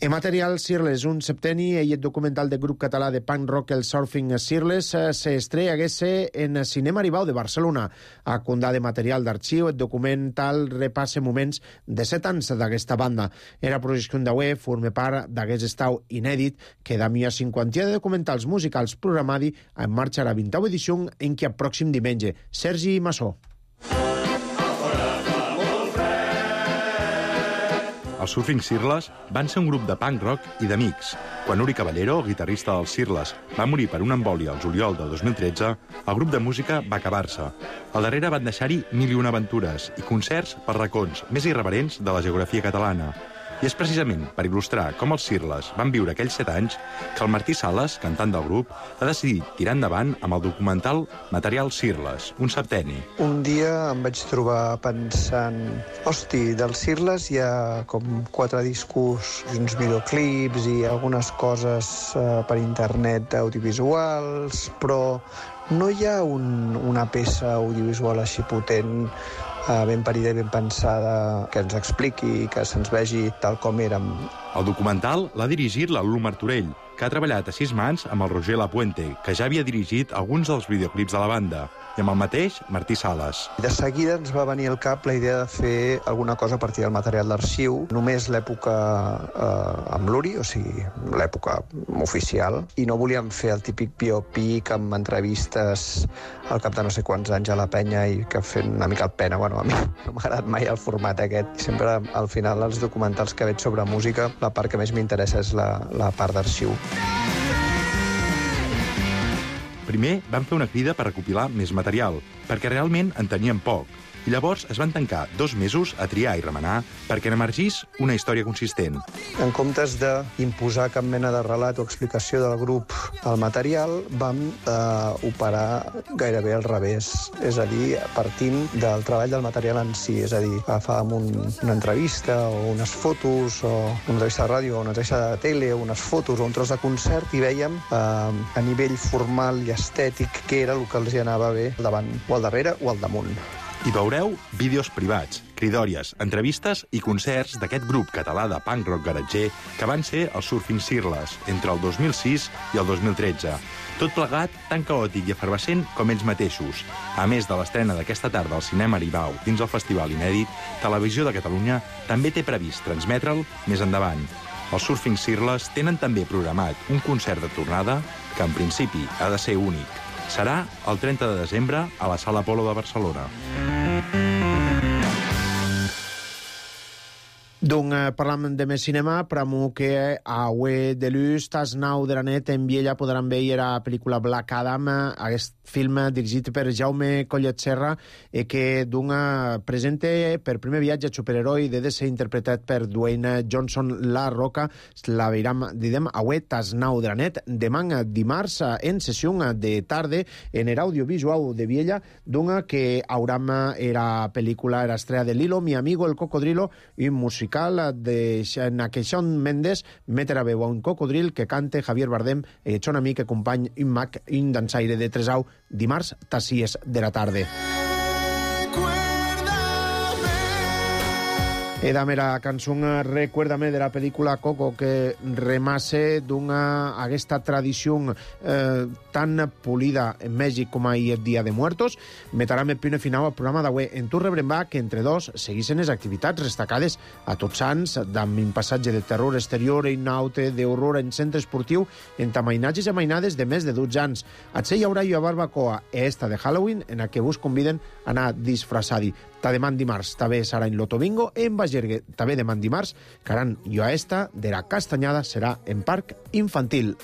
En material, Sirles, un septeni i el documental del grup català de punk rock El Surfing Sirles s'estrella en Cinema Aribau de Barcelona. A condar de material d'arxiu, el documental repassa moments de 7 anys d'aquesta banda. Era projecció d'AUE, forma part d'aquest estau inèdit que da una cinquantia de documentals musicals programadi en marxa a la 20ª edició en què el pròxim diumenge. Sergi Massó. Els Surfing Sirles van ser un grup de punk rock i d'amics. Quan Uri Caballero, el guitarrista dels Sirles, va morir per una embòlia al juliol del 2013, el grup de música va acabar-se. Al darrere van deixar-hi 1001 aventures i concerts per racons més irreverents de la geografia catalana. I és precisament per il·lustrar com els Sirles van viure aquells 7 anys que el Martí Sales, cantant del grup, ha decidit tirar endavant amb el documental Material Sirles, un septeni. Un dia em vaig trobar pensant, hosti, dels Sirles hi ha com 4 discos, uns videoclips i algunes coses per internet audiovisuals, però no hi ha una peça audiovisual així potent, ben parida i ben pensada, que ens expliqui, que se'ns vegi tal com érem. El documental l'ha dirigit la Lulu Martorell, que ha treballat a 6 mans amb el Roger Lapuente, que ja havia dirigit alguns dels videoclips de la banda, i amb el mateix Martí Sales. De seguida ens va venir al cap la idea de fer alguna cosa a partir del material d'arxiu, només l'època amb l'Uri, o sigui, l'època oficial, i no volíem fer el típic biopic amb entrevistes al cap de no sé quants anys a la penya i que fent una mica el pena. Bueno, a mi no m'ha agradat mai el format aquest. Sempre, al final, els documentals que veig sobre música, la part que més m'interessa és la part d'arxiu. Primer van fer una crida per recopilar més material, perquè realment en tenien poc. I llavors es van tancar 2 mesos a triar i remenar perquè n'emergís una història consistent. En comptes d'imposar cap mena de relat o explicació del grup al material, vam operar gairebé al revés. És a dir, partint del treball del material en si. És a dir, agafàvem una entrevista o unes fotos, o una entrevista de ràdio o una entrevista de tele, o unes fotos o un tros de concert, i vèiem a nivell formal i estètic què era el que els hi anava bé al davant, o al darrere o al damunt. Hi veureu vídeos privats, cridòries, entrevistes i concerts d'aquest grup català de punk rock garatger que van ser els Surfing Sirles entre el 2006 i el 2013. Tot plegat tan caòtic i efervescent com ells mateixos. A més de l'estrena d'aquesta tarda al Cinema Aribau dins el Festival Inèdit, Televisió de Catalunya també té previst transmetre'l més endavant. Els Surfing Sirles tenen també programat un concert de tornada que en principi ha de ser únic. Serà el 30 de desembre a la Sala Apolo de Barcelona. Parlam de més cinema, pramo que avui de l'ús tas 9 de la nit en Viella podran veure la pel·lícula Black Adam, aquest film dirigit per Jaume Collet Serra, que presenta per primer viatge superheroi de DC interpretat per Dwayne Johnson La Roca. La veiram, diguem, avui tas 9 de la nit, demà dimarts en sessió de tarde en el audiovisual de Viella, que hauram era pel·lícula, era estrella de Lilo, Mi amigo el cocodrilo, i musical de Shawn Mendes, metre a veu a un cocodril que cante Javier Bardem, son amic i company i mag, un dansaire de Tresau, dimarts, tas 6 de la tarda. Era mera cançó Recuérdame de la pel·lícula Coco, que remase aquesta tradició tan polida en Mèxic com ahir el Dia de Muertos. Metarà el punt final al programa d'avui. En tu rebrem que entre dos seguissin les activitats destacades a Tots Sants, amb un passatge de terror exterior i naute d'horror en centre esportiu, en amainatges i amainades de més de 12 anys. Atse hi haurà una barbacoa esta de Halloween en la que vos conviden a anar disfrassadi. Ta demà dimarts també serà en Lotobingo, en Bagergue també demà dimarts, caran jo a esta de la Castanyada serà en Parc Infantil.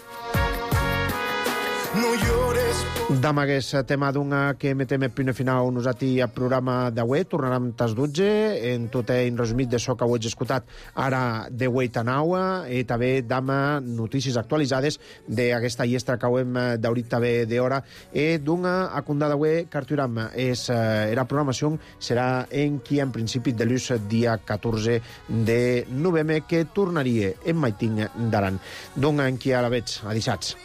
No llores. D'amagués tema que metem el punt final nosaltres al programa d'avui. Tornarem tas 12 en tot en resumit de so que ho he escoltat ara de 8 a 9 i també dama notícies actualitzades d'aquesta llestra que ho hem d'haurit també d'hora i a condar d'avui que arturam la programació serà en qui en principi de l'ús dia 14 de novembre que tornaria en Maiting d'Aran. En qui ara veig, adissats.